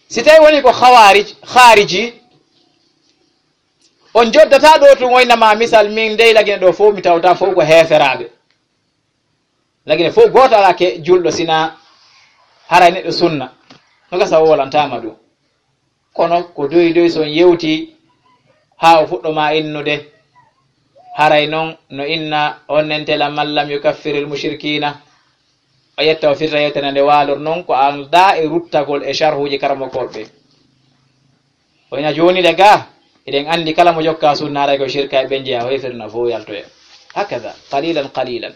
si tawi woni ko khawarij, khariji, on joddata ɗo tun o innama misal min dey Lagine ɗo fof mi tawta fof ko heeferaaɓe. Lagine fof gooto alaa ke julɗo sina haray neɗɗo sunna. No gasa o wolantaama ɗum. Kono ko doy doy so on yewti haa o fuɗɗo ma innude, haray non no inna on nentela man lam yukaffiril mushrikina. O yetta o firta yewtere nde waalor non ko aldaa e ruttagol e sharhuuji karamokooɓe ɓe. O ina jooni le ga, eɗen anndi kala mo jokka sunna haray ko shirka e ɓen jeya, o hefirna fof yaltoya. Hakada, qalilan qalilan.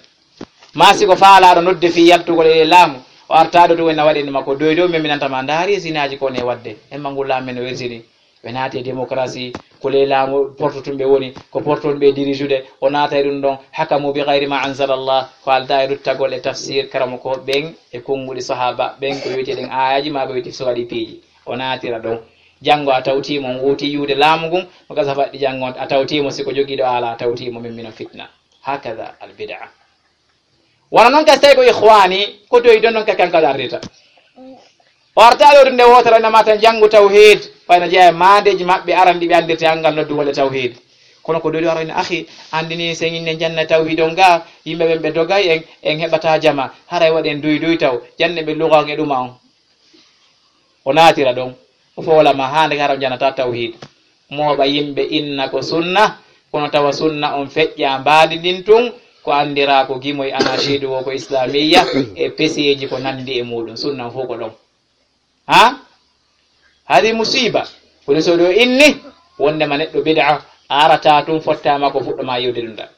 Ma si ko faalaaɗo nodde fii yaltugol e laamu, o artaɗo tun wona waɗi ma ko doy doy, min mi nanta ma ndaari sinaaji ko ne waɗde. En ma ngu laamu men o wersini. Ɓe naati e démocratie, ko ley laamu porto tun ɓe woni, ko porto tun ɓe dirijude, o naata e ɗum ɗon, hakamu bi gayri ma anzala Allah, ko aldaa e ruttagol e tafsir, karamokooɓe ɓen, e konnguɗi sahaaba ɓen, ko wiyeteeɗen aayaji ma ko wiyeteeɗi so waɗi piiji. O naatira ɗon. Janngo a tawtiimo, on wowti yiwde laamu ngun, o gasa faɗɗi janngo a tawtiimo, si ko jogiiɗo aala a tawtiimo, min mino fitna. Hakada al bid'a. Wona non kadi, tawi ko ikhwani, ko toyi ɗon non kadi kanko aɗa ardita. O arta ɗo ɗum nde wootere, no mata janngu tawhid, fayno jeeya e maandeeji maɓɓe aran ɗi ɓe anndirta e anngal noddugol e tawhid. Kono ko ɗoyɗo ara ina akhi, anndi ni sen inne janna tawhid on ga, yimɓe ɓen ɓe dogay en, en heɓata jama, haray waɗen doy doy taw, janne ɓe luga on e ɗuma on. O naatira ɗon, o foola ma haa ndeke hara o janata tawhid. Mooɓa yimɓe inna ko sunna, kono tawa sunna on feƴƴa mbaadi ndin tun, ko anndira ko gimoy anashidu wo ko islamiyya, e peseeji ko nanndi e muuɗum, sunna on fof ko ɗon. Ha? Hadi musiba. Kono so ɗo inni, wondema neɗɗo bid'a, a arata tun fottama ko fuɗɗoma yewde ɗum ɗa.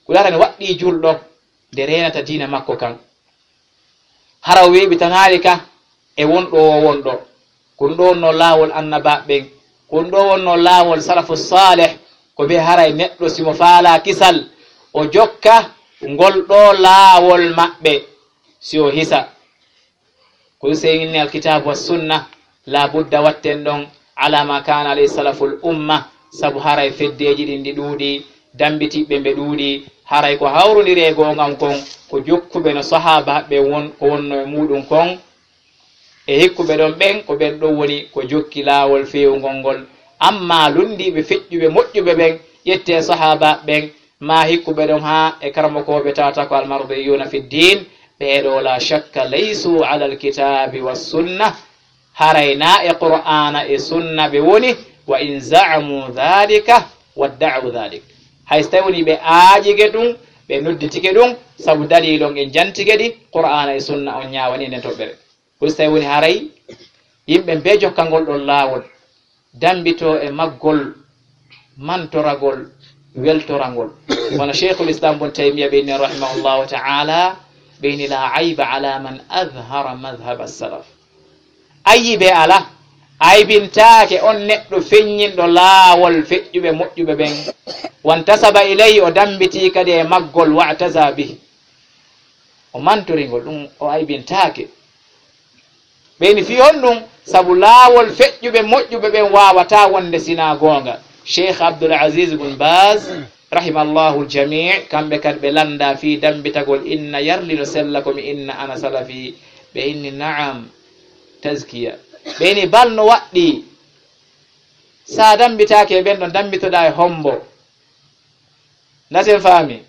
Ko laatani waɗɗi julɗo, nde reenata diina makko kan. Hara o weeɓitanaali ka e wonɗo o wonɗo. Ko ɗum ɗo wonno laawol annabaaɓe ɓen. Ko ɗum ɗo wonno laawol salafu saalih. Ko ɓe haray neɗɗo si mo faalaa kisal, o jokka ngol ɗo laawol maɓɓe. Si o hisa. Ko ɗum sey inni alkitaabu wa sunna. La budda watten ɗon ala ma kana alayhi salaful umma, sabu haray feddeeji ɗin ɗi ɗuuɗi, dambitiɓɓe ɓe ɗuuɗi, haray ko hawrondiri e goongam kon, ko jokkuɓe no sahaaba ɓe won, ko wonno e muuɗum kon, e hikkuɓe ɗon ɓen, ko ɓen ɗon woni ko jokki laawol feewungol ngol. Amma lunndiiɓe feƴƴuɓe moƴƴuɓe ɓen, ƴettee sahaaba ɓen, ma hikkuɓe ɗon haa e karamokooɓe tawata ko almardiyuna fi ddin, ɓeeɗo la shakka laysu ala alkitabi wa sunna, haray na e qur'ana e sunna ɓe woni, wa in za'amu dhalika wadda'u dhalik. Hay so tawi woni ɓe aaƴike ɗum, Ɓe nodditike ɗum sabu daliilon en jantike ɗi, Qur'aana e Sunna, on ñaawani nden toɓɓere. Ko so tawi woni haray yimɓe bee jokkangol ɗon laawol, dambitoo e maggol, mantoragol, weltorangol. Wano Sheikhul Islam Ibn Taymiya ɓe inni rahimahullahu ta'ala, ɓe inni: "La ayba ala man adhara madhhab as-salaf." Ayibe ala, aybintaake on neɗɗo feññinɗo laawol feƴƴuɓe moƴƴuɓe ɓen. "Wantasaba ilayhi", o dambitii kadi e maggol, "wa'taza bih", o mantori ngol, ɗum o aybintaake. Ɓe inni fii honɗum? Sabu laawol feƴƴuɓe moƴƴuɓe ɓen waawataa wonde sinaa goonga. Sheikh Abdul Aziz Ibn Baz, rahimallahu jamii, kamɓe kadi ɓe lannda fii dambitagol inna yarlino sella ko mi inna ana salafi. Ɓe inni na'am, tazkiya. Ɓe inni bal no waɗɗii. Sa dambitaake e ɓen ɗon, dambitoɗaa e hombo? Ndasen faami.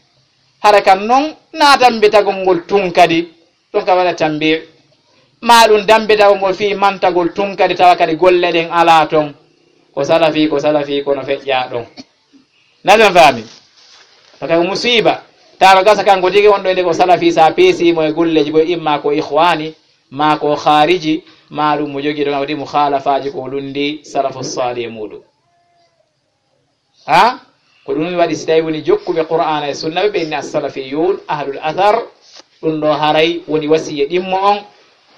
Hara kan non, na dambitagol ngol tun kadi, ɗum ka waɗa tambi. Ma ɗum dambitagol ngol fii mantagol tun kadi, tawa kadi golle ɗen alaa ton. Ko salafi, ko salafi, kono feƴƴaa ɗon. Ndasen faami. Ko kay musiba. Tawa gasa kanko tigi wonɗo inde ko salafi, sa peesi mo e golleeji boy, imma ko ikhwani, ma ko khariji, ma ɗum mo jogi ɗon, wadi mukhalafaaji ko lundi salafu salih e muɗum. Ha? Ko ɗum waɗi si tawi woni jokkuɓe Qur'aana e Sunna, ɓe ɓe inni as-salafiyun, ahlul athar, ɗum ɗo haray woni wasiya ɗimmo on,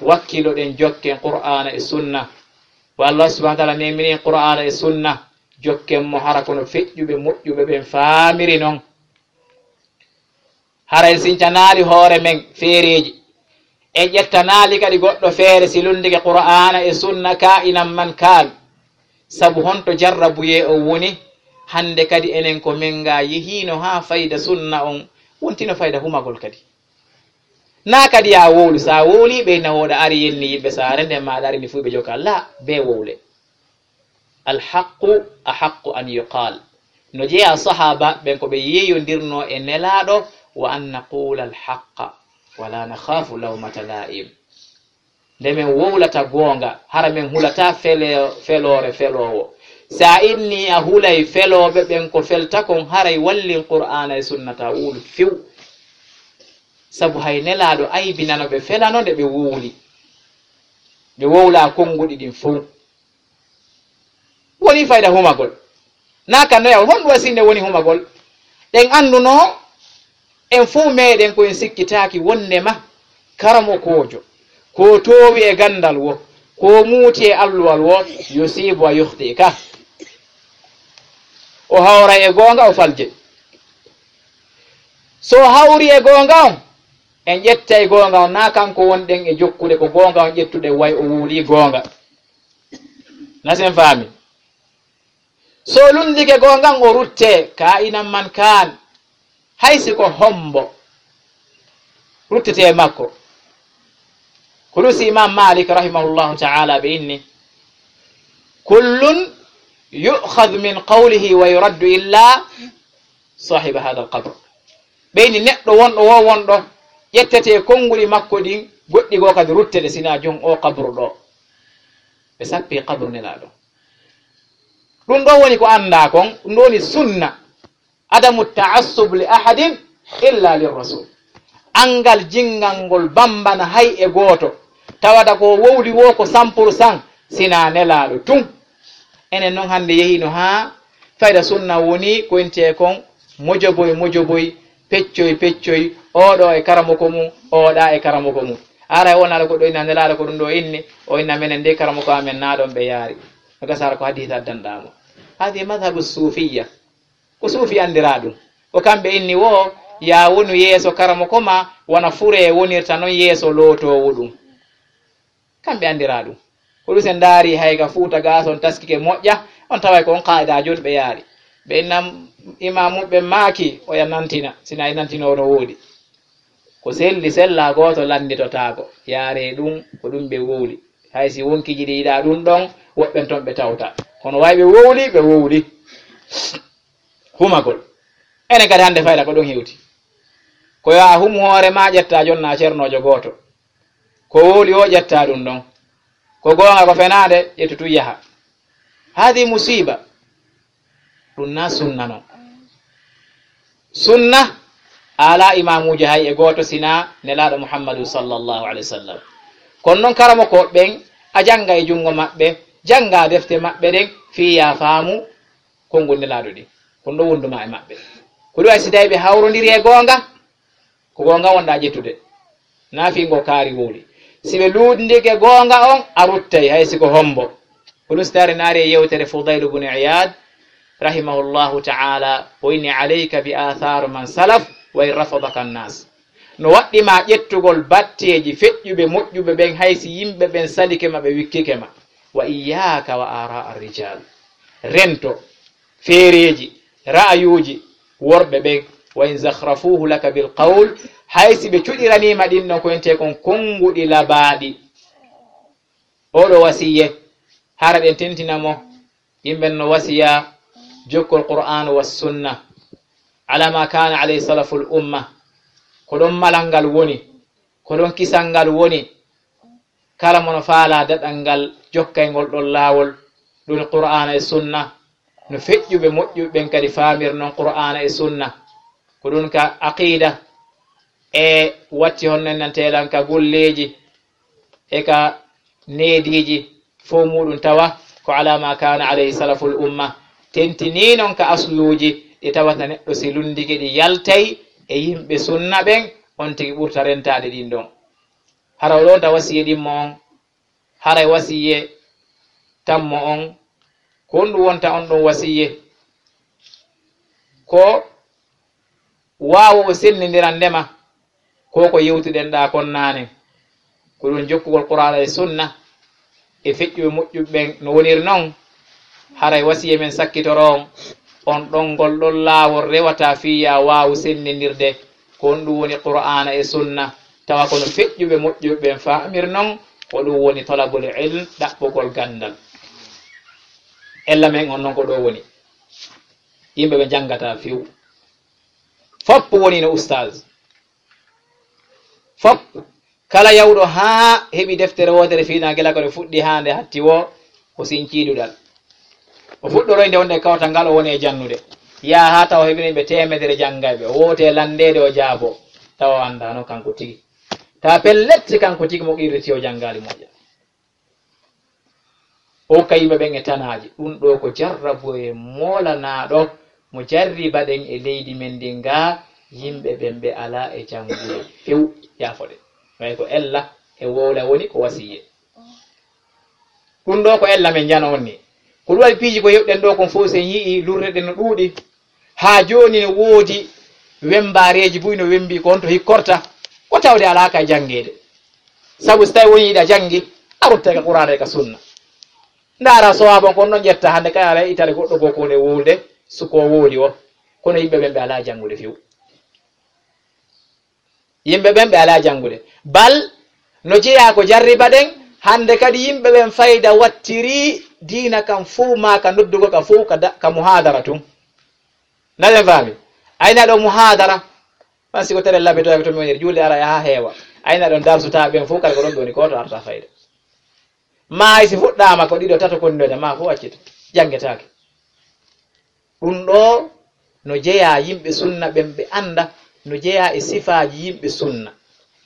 wakkiloɗen jokken Qur'aana e Sunna. Wa Allah subhanahu wa ta'ala memini Qur'aana e Sunna, jokken mo hara kono feƴƴuɓe moƴƴuɓe ɓen faamiri non. Hara en sincanaali hoore men feereeji. En ƴettanaali kadi goɗɗo feere si lunndike Qur'aana e Sunna kaa'inan man kaan. Sabu honto jarrabuyee on woni? Hannde kadi enen ko men nga yehiino haa fayda Sunna on wontino fayda humagol kadi. Naa kadi yaa wowlu, sa wowli ɓe na wooɗa ari yenni yimɓe saare nden maaɗa ari ni fuu ɓe jokka. La, bee wowle. Alhaqqu ahaqqu an yuqal. No jeyaa sahaaba ɓen ko ɓe yeeyondirnoo e Nelaaɗo, wa an naqula alhaqqa, wa la nakhafu lawmata la'im. Nde men wowlata goonga, hara men hulata fele-, feloore feloowo. Sa inni a hulay felooɓe ɓen ko felta kon, haray wallin Qur'aana e Sunna ta wowlu few. Sabu hay Nelaaɗo aybinano ɓe felano nde ɓe wowli. Ɓe wowla konnguɗi ɗin fow. Woni fayda humagol. Naa ka noyawol, honɗum waɗi sinno woni humagol? Ɗen annduno en fow meɗen ko en sikkitaaki wonndema karamokoojo, ko toowi e ganndal wo, ko muuti e alluwal wo, yusibu wa yukhti ka. O hawray e goonga, o faljay. So o hawri e goonga on, en ƴettay goonga on, naa kanko wonɗen e jokkude, ko goonga on ƴettuɗen, way o wowli goonga. Ndasen faami. So lunndike goonga on, o rutte, kaa'inan man kaan. Hay si ko hombo, ruttete e makko. Ko ɗum si Imam Malik rahimahullahu ta'ala ɓe inni: "Kullun yu'khadhu min qawlihi wa yuraddu illa sahiba hadha al-qabr." Ɓe inni neɗɗo wonɗo wo wonɗo, ƴettete konnguli makko ɗin, goɗɗi goo kadi ruttete, sina jon o qabru ɗo. Ɓe sappi qabru Nelaaɗo. Ɗum ɗo woni ko anndaa kon, ɗum ɗo woni sunna. Adamu ta'assub li ahadin illa lir rasul. Anngal jinngal ngol bambana hay e gooto, tawata ko wowli wo ko cent pour cent, sina Nelaaɗo tun. Enen non hannde yehiino haa fayda sunna woni ko intee kon mojoboy, mojoboy, peccoy, peccoy, oɗo e karamoko mum, oɗa e karamoko mum. Ara o naɗa ko ɗo inna Nelaaɗo ko ɗum ɗo inni, o inna menen de karamoko amen na ɗon ɓe yaari. No gasa hara ko hadiis addanɗaa mo. Hadi madhabu suufiyya. Ko suufi anndiraa ɗum. Ko kamɓe inni wo, yaa wonu yeeso karamoko ma, wona furee wonirta non yeeso lootoowo ɗum. Kamɓe anndiraa ɗum. Ko ɗum sen ndaari hay ka Fuuta gaa, so on taskike moƴƴa, on taway ko on qaa'idaajo on ɓe yaari. Ɓe inna imaamu ɓe maaki, oya nantina, sina e nantinoo no woodi. Ko selli sella gooto lannditotaako. Yaaree ɗum, ko ɗum ɓe wowli. Hay si wonkiiji ɗi yiɗaa ɗum ɗon, woɓɓen ton ɓe tawta. Kono way ɓe wowli, ɓe wowli. Humagol. Enen kadi hannde fayda ko ɗon hewti. Ko yo a hum hoore ma, ƴetta jonna cernoojo gooto. Ko wowli o, ƴetta ɗum ɗon. Ko goonga, ko fenaande, ƴettu tun yaha. Hadi musiba. Ɗum na sunna non. Sunna, A alaa imaamuujo hay e gooto sinaa Nelaaɗo Muhammadu sallallahu alayhi wa sallam. Kono noon karamokooɓe ɓen, a jannga e junngo maɓɓe, jannga defte maɓɓe ɗen, fii yaa faamu konngol Nelaaɗo ɗin. Ko ɗum ɗo wondu maa e maɓɓe. Ko ɗum wayi si tawi ɓe hawrondiri e goonga, ko goonga wonɗaa ƴettude. Naa fii ngo kaari wowli. Si ɓe luutndike goonga on, a ruttay, hay si ko hombo. Ko ɗum si tawi naari e yewtere Fudayl ibn Iyad, rahimahullahu ta'ala, o inni: "Alayka bi athar man salaf, wa in rafadaka an-nas." No waɗɗi ma ƴettugol batteeji feƴƴuɓe moƴƴuɓe ɓen, hay si yimɓe ɓen salike ma, ɓe wikkike ma. "Wa iyyaka wa ara ar-rijal." Rento feereeji, ra'ayuuji worɓe ɓen, "wa in zakhrafuhu laka bil qawl", hay si ɓe cuɗiraniima ɗin ɗon ko entee kon konnguɗi labaaɗi. Oɗo wasiye, hara ɗen tentina mo, yimɓe no wasiya jokkol Qur'an wa sunna, ala ma kana alayhi salaful umma, ko ɗon malal ngal woni, ko ɗon kisal ngal woni. Kala mo no faalaa daɗal ngal jokkay ngol ɗon laawol, ɗum Qur'aana e Sunna, no feƴƴuɓe moƴƴuɓe ɓen kadi faamir non Qur'aana e Sunna. Ko ɗum ka aqiida e watti honno en nan teelan ka golleeji e ka neediiji, fof muuɗum tawa ko alaa maa kaana alayhi salaful umma, tentinii non ka asluuji ɗi tawata neɗɗo si lunndike ɗi yaltay e yimɓe Sunna ɓen, on tigi ɓurta rentaade ɗin ɗon. Hara o ɗon ta wasiye ɗimmo on, haray wasiye tammo on, ko honɗum wonta on ɗon wasiye? Ko waawo o senndindirande ma, ko ko yewtuɗen ɗaa kon naane, ko ɗum jokkugol Qur'aana e Sunna, e feƴƴuɓe moƴƴuɓe ɓen no woniri non, haray wasiya men sakkitoro on, on ɗon ngol ɗon laawol rewata fii yaa waawu senndindirde, ko honɗum woni Qur'aana e Sunna, tawa ko no feƴƴuɓe moƴƴuɓe ɓen faamir non, ko ɗum woni talabul ilm, ɗaɓɓugol ganndal. Ella men on non ko ɗo woni. Yimɓe ɓe njanngataa few. Fop woni no ustaaz. Fop, kala yawɗo haa heɓi deftere wootere fii naa gila ko nde fuɗɗi haa nde hatti woo, o sincii duɗal. O fuɗɗoroy nde wonde kawtal ngal o woni e jannude. Yaha haa tawa heɓini ɓe teemedere janngayɓe, o wowti e lanndeede o jaaboo, tawa o anndaano kanko tigi. Tawa pellet si kanko tigi mo qirriti o janngaali moƴƴa. O hokka yimɓe ɓen e tanaaji. Ɗum ɗoo ko jarraboye moolanaaɗo mo jarribaɗen e leydi men ndin gaa, yimɓe ɓen ɓe alaa e janngude few, yaafoɗen. Way ko ella e wowla woni ko wasiye. Ɗum ɗoo ko ella men njano on ni. Ko ɗum waɗi piiji ko yewɗen ɗoo kon fof, si en yi'i lurreɗen no ɗuuɗi. Haa jooni no woodi wemmbaareeji buy no wemmbii ko honto hikkorta, ko tawde alaa ka janngeede. Sabu si tawi woni hiɗa janngi, a ruttay ka Qur'aana e ka Sunna. Ndaara sowaaban kon ɗon ƴetta hannde kay alaa itare goɗɗo goo ko woni e wowlude, suko wowli o. Kono yimɓe ɓen ɓe alaa janngude few. Yimɓe ɓen ɓe alaa janngude. Bal no jeyaa ko jarribaɗen, hannde kadi yimɓe ɓen fayda wattiri diina kan fow maa ka noddugol ka fow ka da-, ka muhaadara tun. Naɗen faami? Ayna ɗo muhaadara, man si ko tere labito, labito mi woniri, juulde ara yaha heewa. Ayna ɗon darsutaa ɓen fow, kala ko ɗon ɓe woni, gooto arta fayda. Maa hay si fuɗɗaama ko ɗiɗo, tato konnoyta, maa fof accita, janngetaake. Ɗum ɗoo no jeyaa yimɓe Sunna ɓen, ɓe annda, no jeyaa e sifaaji yimɓe Sunna,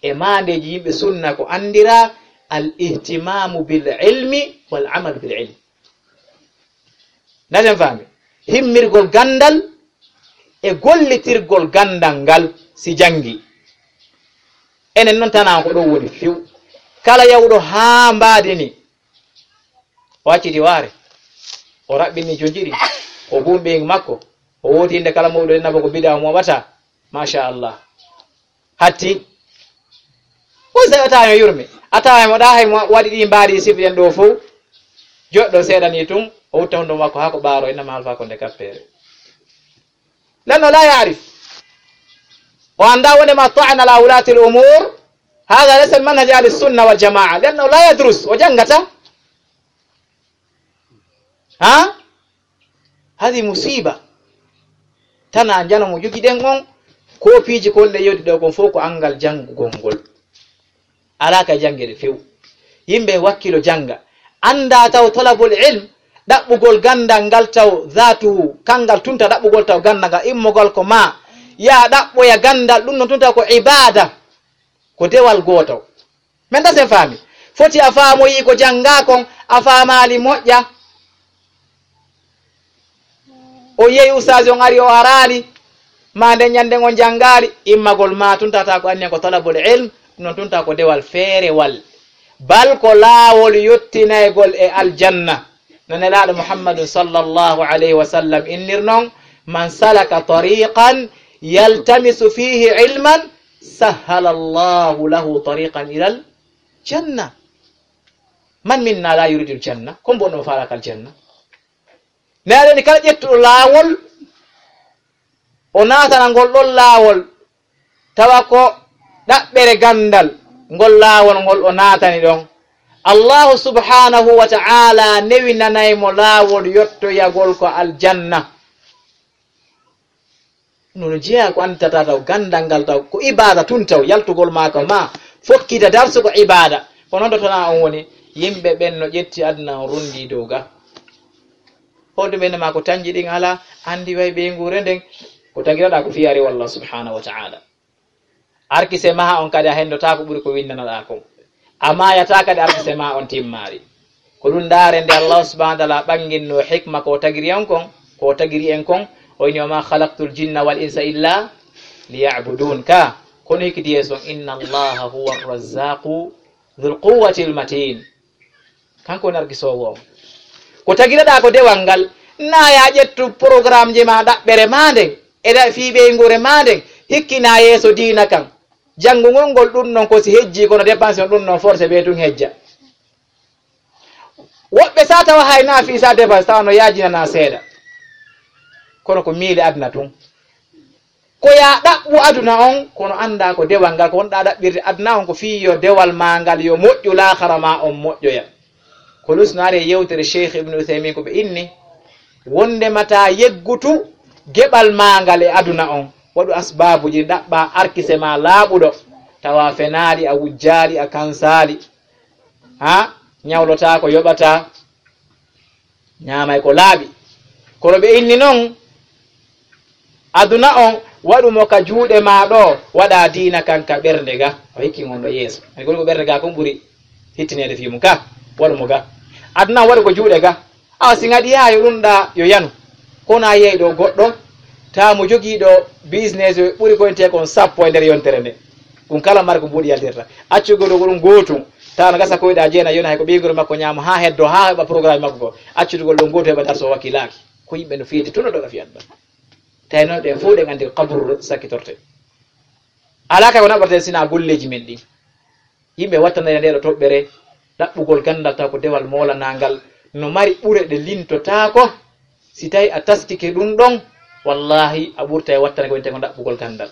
e maandeeji yimɓe Sunna, ko anndiraa al ihtimaamu bil ilmi wal amal bil ilm. Ndaden faami? Himmirgol ganndal e gollitirgol ganndal ngal si janngi. Enen noon tanaa ko ɗoo woni few. Kala yawɗo haa mbaadi ni, o acciti waare, o raɓɓini jonji ɗi, o buumbi makko, o wooti innde kala mawɗo nabo ko bidaa o mooɓata. Machallah. Hatti. O se a tawa mo yurmi. A tawa mo ɗa hay mo waɗi ɗi mbaadi sifiɗen ɗo fow. Joɗɗo seeɗa ni tun, o wutta hunduko makko haa ko ɓaaro, innama alfa ko nde kappere. Lanno la yaarif. O annda wonde ma ta'an ala wulati al umur. Hada laysa manhaj ahli sunna wal jamaa. Lanno la yadrus. O janngata. Ha? Hadi musiba. Tana njano mo jogiɗen on, kopiiji kon ɗe yewti ɗo kon fof ko anngal janngugol ngol. Alaa ka janngeede few. Yimɓe wakkilo jannga. Annda taw talabul ilm, ɗaɓɓugol ganndal ngal taw zaatuhu, kanngal tunta ɗaɓɓugol taw ganndal ngal, immogol ko ma, Yaa ɗaɓɓoya ganndal, ɗum noon tun taw ko ibaada, ko dewal gootal. Men da sen faami. Foti a faamoyii ko janngaa kon, a faamaali moƴƴa. O yehi ustaasi on ari o araali, maa nden ɲannde on janngaali, immagol maa tun tawata ko anniya ko talabul ilm, ɗum noon tun taw ko dewal feerewal. Bal ko laawol yottinaygol e aljanna. No Nelaaɗo Muhammadun sallallahu alayhi wa sallam innir non, "Man salaka tariqan yaltamisu fihi ilman, sahhala Allahu lahu tariqan ilal janna." Man minna la yuridul janna? Ko mbo no faalaka aljanna? Nelaaɗo ni kala ƴettuɗo laawol, o naatana ngol ɗon laawol, tawa ko ɗaɓɓere ganndal, ngol laawol ngol o naatani ɗon, Allahu subhanahu wa ta'ala newinanay mo laawol yottoyagol ko aljanna. Ɗum no jeyaa ko annditata taw ganndal ngal taw ko ibaada tun taw, yaltugol maa ka maa fokkita darsu ko ibaada. Ko noon ɗo tana on woni, yimɓe ɓen no ƴetti aduna on runndi dow ga. Holɗum ɓe ma ko tanji ɗin alaa, anndi way ɓeynguure nden, ko tagiraɗaa ko fiyaari wallah subhanahu wa ta'ala. Arkise maha on kadi a henndotaako ɓuri ko winndanaɗaa kon. A maayataa kadi arkise ma on timmaari. Ko ɗum ndaare nde Allah subhanahu wa ta'ala ɓanginno hikma ko tagiri on kon, ko tagiri en kon, o inni, "Wa ma khalaqtul jinna wal insa illa liya'budun." Ka, kono hikki yeeso, "Inna Allaha huwa razzaqu dhul quwwatil matin." Kanko woni argisoowo on. Ko tagiraɗaa ko dewal ngal, naa ya ƴettu programme ji ma ɗaɓɓere ma nden, e da fii ɓeynguure ma nden, hikkina yeeso diina kan. Janngugol ngol ɗum non ko si hejji, kono dépense on ɗum non forcé ɓe tun hejja. Woɓɓe sa tawa hay na fii sa dépense tawa no yaajinana seeɗa. Kono ko miile aduna tun. Ko ya ɗaɓɓu aduna on, kono annda ko dewal ngal, ko wonɗa ɗaɓɓirde aduna on, ko fii yo dewal ma ngal yo moƴƴu, laakhara ma on moƴƴoya. Ko lusnaare yewtere Cheikh Ibn Uthaymin ko ɓe inni, wonde mata yeggutu geɓal ma ngal e aduna on, waɗu asbaabuji ɗi ɗaɓɓa arkise ma laaɓuɗo, tawa fenaali, a wujjaali, a kansaali. Ha? Ɲawlotaako, yoɓata, ɲaamay ko laaɓi. Kono ɓe inni non, aduna on, waɗu mo ka juuɗe ma ɗo, waɗa diina kan ka ɓernde ga. O hikki ngon ɗo yeeso. Ani gol ko ɓernde ga kon ɓuri hittineede fii mum ka, waɗu mo ga. Aduna on waɗu ko juuɗe ga. Awa si ngaɗi yaa yo ɗum ɗa yo yanu. Kono a yehi ɗo goɗɗo, tawa mo jogiiɗo business ɓuri koyntee kon sappo e nder yontere nde. Ɗum kala mari ko mbuuɗi yaltirta. Accu goɗɗo ko ɗum gootum, tawa no gasa koyɗa jeena yona hay ko ɓeynguure makko ɲaama haa heddo, haa heɓa programme makko ko. Accutugol ɗon gootum heɓa darso wakkilaaki. Ko yimɓe no feeti tun ɗo ka fiyat ɗon. Tawi noon ɗen fof ɗen anndi ko kaburu sakkitorte. Alaa kay ko naɓaten sina golleeji men ɗin. Yimɓe wattanere nde ɗo toɓɓere, ɗaɓɓugol ganndal taw ko dewal moolanangal, no mari ɓure ɗe lintotaako. Si tawi a taskike ɗum ɗon, wallahi a ɓurta e wattane ko wiyetee ko ɗaɓɓugol ganndal.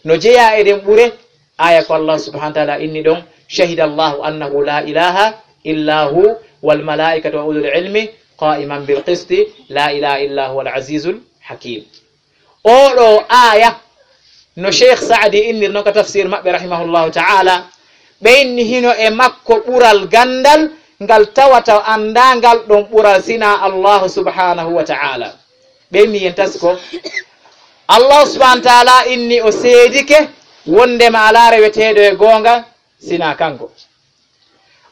No jeyaa e ɗen ɓure, aya ko Allah subhanahu wa ta'ala inni ɗon, "Shahida Allahu annahu la ilaha illa hu wal malaikatu wa ulul ilmi qa'iman bil qisti, la ilaha illa huwal azizul hakim." Oɗo aya, no Cheikh Saadi innir non ka tafsir maɓɓe rahimahullahu ta'ala, ɓe inni hino e makko ɓural ganndal ngal tawata annda ngal ɗon ɓural sina Allahu subhanahu wa ta'ala. Ɓe inni yen tasko, Allahu subhanahu wa ta'ala inni o seedike wondema alaa reweteeɗo e goonga sina kanko.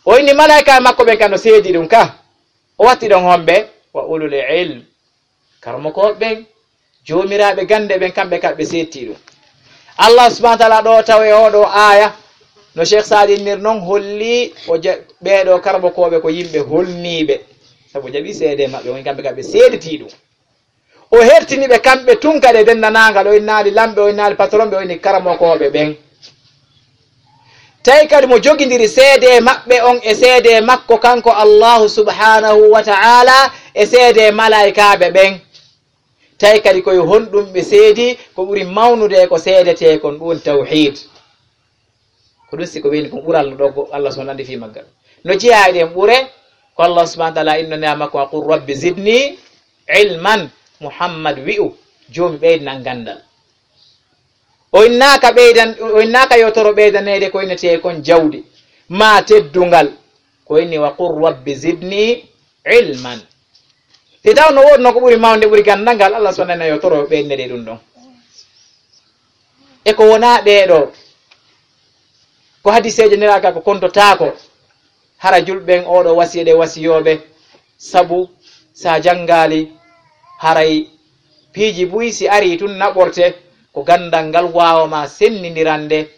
O inni malaika makko ɓen kan no seedi ɗum ka. O watti ɗon homɓe, wa ulul ilm. Karmokooɓe ɓen, joomiraaɓe gannde ɓen, kamɓe ka ɓe seedtii ɗum. Allah subhanahu wa ta'ala ɗo taw e oɗo aya, no Cheikh Saadi innir non, holli o ja-, ɓeeɗo karmokooɓe ko yimɓe holniiɓe. Sabu o jaɓi seede maɓɓe, woni kamɓe ka ɓe seeditii ɗum. O hertini ɓe kamɓe tun kadi e denndanangal, o innaali lamɓe, o innaali patron ɓe, o inni karmokooɓe ɓen. Tawi kadi mo jogindiri seede maɓɓe on e seede makko kanko Allahu subhanahu wa ta'ala e seede malaikaaɓe ɓen. Tawi kadi koye honɗum ɓe seedi ko ɓuri mawnude e ko seedetee kon, ɗum woni tawhid. Ko ɗum si ko weli kon ɓural no ɗo go-, Allah subhanahu anndi fii maggal. No jeyaa e ɗen ɓure, ko Allah subhanahu wa ta'ala inno neema makko, "Wa qul rabbi zidni ilman." Muhammad wi'u, "Joomi ɓeydinan ganndal." O innaaka ɓeydan-, o innaaka yo toro ɓeydaneede ko innetee kon jawdi, maa teddungal. Ko inni, "Wa qul rabbi zidni ilman." Si taw no woodno ko ɓuri mawnde, ɓuri ganndal ngal, Allah subhanahu wa ta'ala yo toro ɓeydaneede ɗum ɗon. E ko wonaa ɓee ɗoo, ko hadiseeje nelaaɗo ko kontotaako, hara julɓe ɓen oo ɗoo wasiya ɗe wasiyooɓe, sabu so a janngaali, haray piiji buy si arii tun naɓorte, ko ganndal ngal waawa ma senndindirande,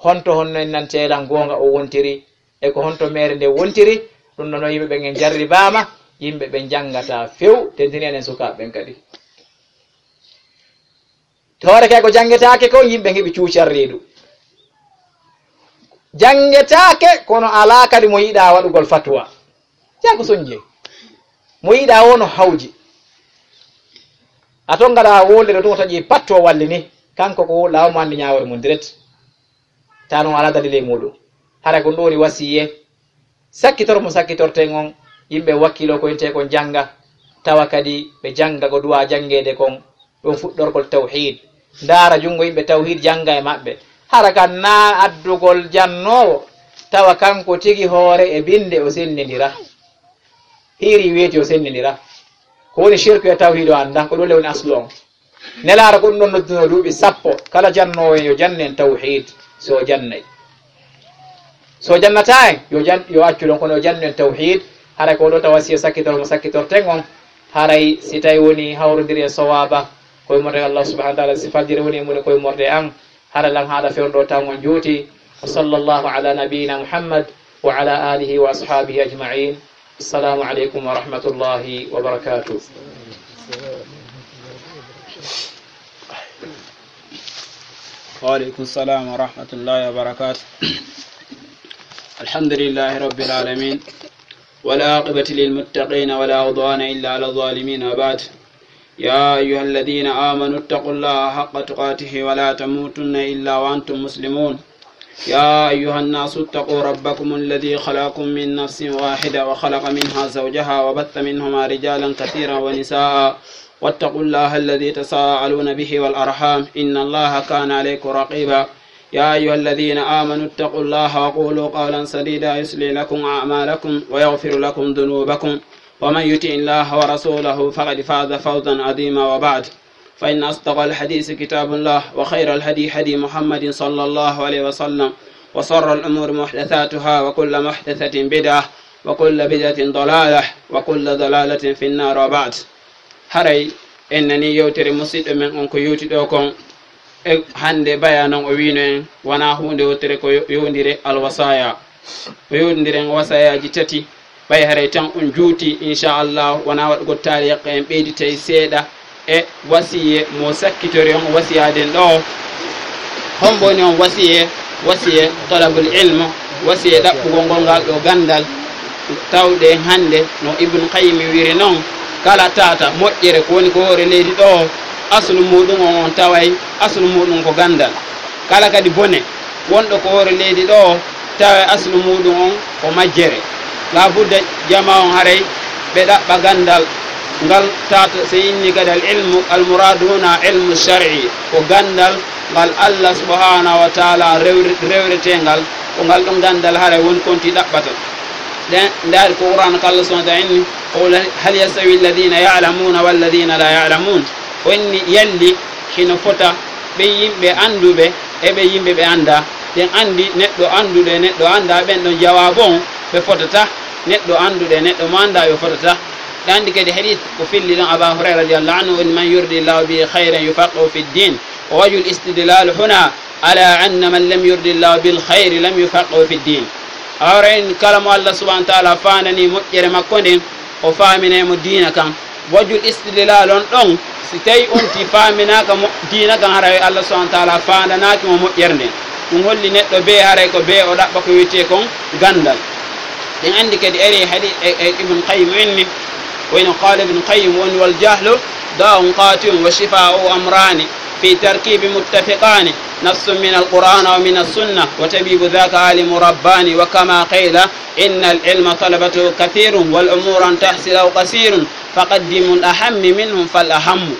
honto honno en nan teelan goonga o wontiri, e ko honto meere nde wontiri, ɗun ɗon yimɓe ɓen en jarribaama, yimɓe ɓen janngataa few, tentini enen sukaaɓe ɓen kadi. Tawata kay ko janngetaake kon, yimɓe heɓi cuucar reedu. Janngetaake, kono alaa kadi mo yiɗaa waɗugol fatwa. Yaa ko soñje. Mo yiɗaa woo no hawji. A ton ngaɗa wolde ɗo tun o taƴi patto walli ni. Kanko ko laawo mo anndi ñaawore mum direct. Taa non alaa dalil e muuɗum. Hara ko ɗum woni wasiye. Sakkitor mo sakkitorten on, yimɓe wakkilo ko intee kon jannga, tawa kadi ɓe jannga ko duwaa janngeede kon, ɗum fuɗɗorgol tawhiid. Ndaara junngo yimɓe tawhiid jannga e maɓɓe. Hara kan naa addugol jannoowo, tawa kanko tigi hoore e binnde o senndindira. Hiiri weeti o senndindira. Ko woni shirku e tawhiid o annda, ko ɗum le woni aslu on. Nelaaɗo ko ɗum ɗon noddunoo duuɓi sappo, kala jannoowo en yo jannu en tawhiid, so o jannay. So o jannataa en, yo jan-, yo accu ɗon, kono yo jannu en tawhiid, haray ko ɗo tawa si o sakkitor mo sakkitorten on, haray si tawi woni hawrondiri e sawaaba, koye morde Allah subhanahu wa taala, si fajiri woni e mum koye morde an, hara lan haala fewndo taw on juuti. Wa sallallahu ala nabiyyina Muhammad wa ala alihi wa ashabihi ajma'in. Assalamu alaikum wa rahmatullahi wa barakatuh. وعليكم السلام ورحمة الله وبركاته. الحمد لله رب العالمين، والعاقبة للمتقين، ولا عدوان إلا على الظالمين، وبعد. يا أيها الذين آمنوا اتقوا الله حق تقاته ولا تموتن إلا وأنتم مسلمون. يا أيها الناس اتقوا ربكم الذي خلقكم من نفس واحدة وخلق منها زوجها وبث منهما رجالا كثيرا ونساء، واتقوا الله الذي تساءلون به والأرحام، إن الله كان عليكم رقيبا. يا أيها الذين آمنوا اتقوا الله وقولوا قولا سديدا يصلح لكم أعمالكم ويغفر لكم ذنوبكم، ومن يطع الله ورسوله فقد فاز فوزا عظيما، وبعد، فإن أصدق الحديث كتاب الله، وخير الهدي هدي محمد صلى الله عليه وسلم، وشر الأمور محدثاتها، وكل محدثة بدعة، وكل بدعة ضلالة، وكل ضلالة في النار، وبعد. Haray en nanii yewtere musiɗɗo men on ko yewti ɗoo kon. E hannde baya non o wiino en, wonaa huunde wottere ko yo-, yowndire alwasaya. O yowndire en wasayaaji tati. Ɓay haray tan on juuti, inchallah, wonaa waɗugol taariya, en ɓeyditay seeɗa e wasiye mo sakkitori on wasiyaaden ɗoo. Hombo woni on wasiye? Wasiye talabul ilm, wasiye ɗaɓɓugol ngol ngal ɗoo ganndal. Tawde hannde no Ibn Qayyim wiri non, kala tata moƴƴere ko woni ko hoore leydi ɗoo, aslu muuɗum on, on taway aslu muuɗum ko ganndal. Kala kadi bone wonɗo ko hoore leydi ɗoo, tawa e aslu muuɗum on ko majjere. Laa budda jama on haray ɓe ɗaɓɓa ganndal ngal tata, so inni kadi al ilmu, al muradu huna ilmu shar'i, ko ganndal ngal Allah subhanahu wa taala rewri-, rewretee ngal, ko ngal ɗon ganndal haray woni konti ɗaɓɓata. Ɗen ndaari ko Qur'an ko Allah subhanahu wa taala inni, qul hal yastawi alladhina ya'lamuna walladhina la ya'lamun. O inni yalli hino fota ɓe yimɓe annduɓe e ɓe yimɓe ɓe anndaa. Ɗen anndi neɗɗo annduɗo e neɗɗo anndaa, ɓen ɗon jawaabu on ɓe fotata. Neɗɗo annduɗo e neɗɗo mo anndaa ɓe fotata. Ɗen anndi kadi hadith ko filli ɗon Aba Hurayra radiyallahu anhu woni, man yuridillahu bihi khayran yufaqihu fid din. Wa wajhul istidlal huna ala anna man lam yuridillahu bil khayri lam yufaqihu fid din. Hawra en kala mo Allah subhanahu wa taala faandani moƴƴere makko nden, o faaminay mo diina kan. Wajhul istidlal on ɗon, si tawi on ti faaminaaka mo diina kan, haray Allah subhanahu wa taala faandanaaki mo moƴƴere nden. Ɗum holli neɗɗo bee haray ko bee o ɗaɓɓa ko wi'etee kon ganndal. Ɗen anndi kadi ari hadi e, e Ibn Qayyim inni, wayno qaala Ibn Qayyim woni, wal jahlu da'un qati'un wa shifa'u amrani fi tarkibi muttafiqani, nassun min al-Qur'an wa min as-sunnah, wa tabibu dhaka alimu rabbani, wa kama qila, inna al-ilma talabatu kathirun, wal umuru an tahsila aw qasirun, faqaddimu al-ahammi minhum fal ahammu.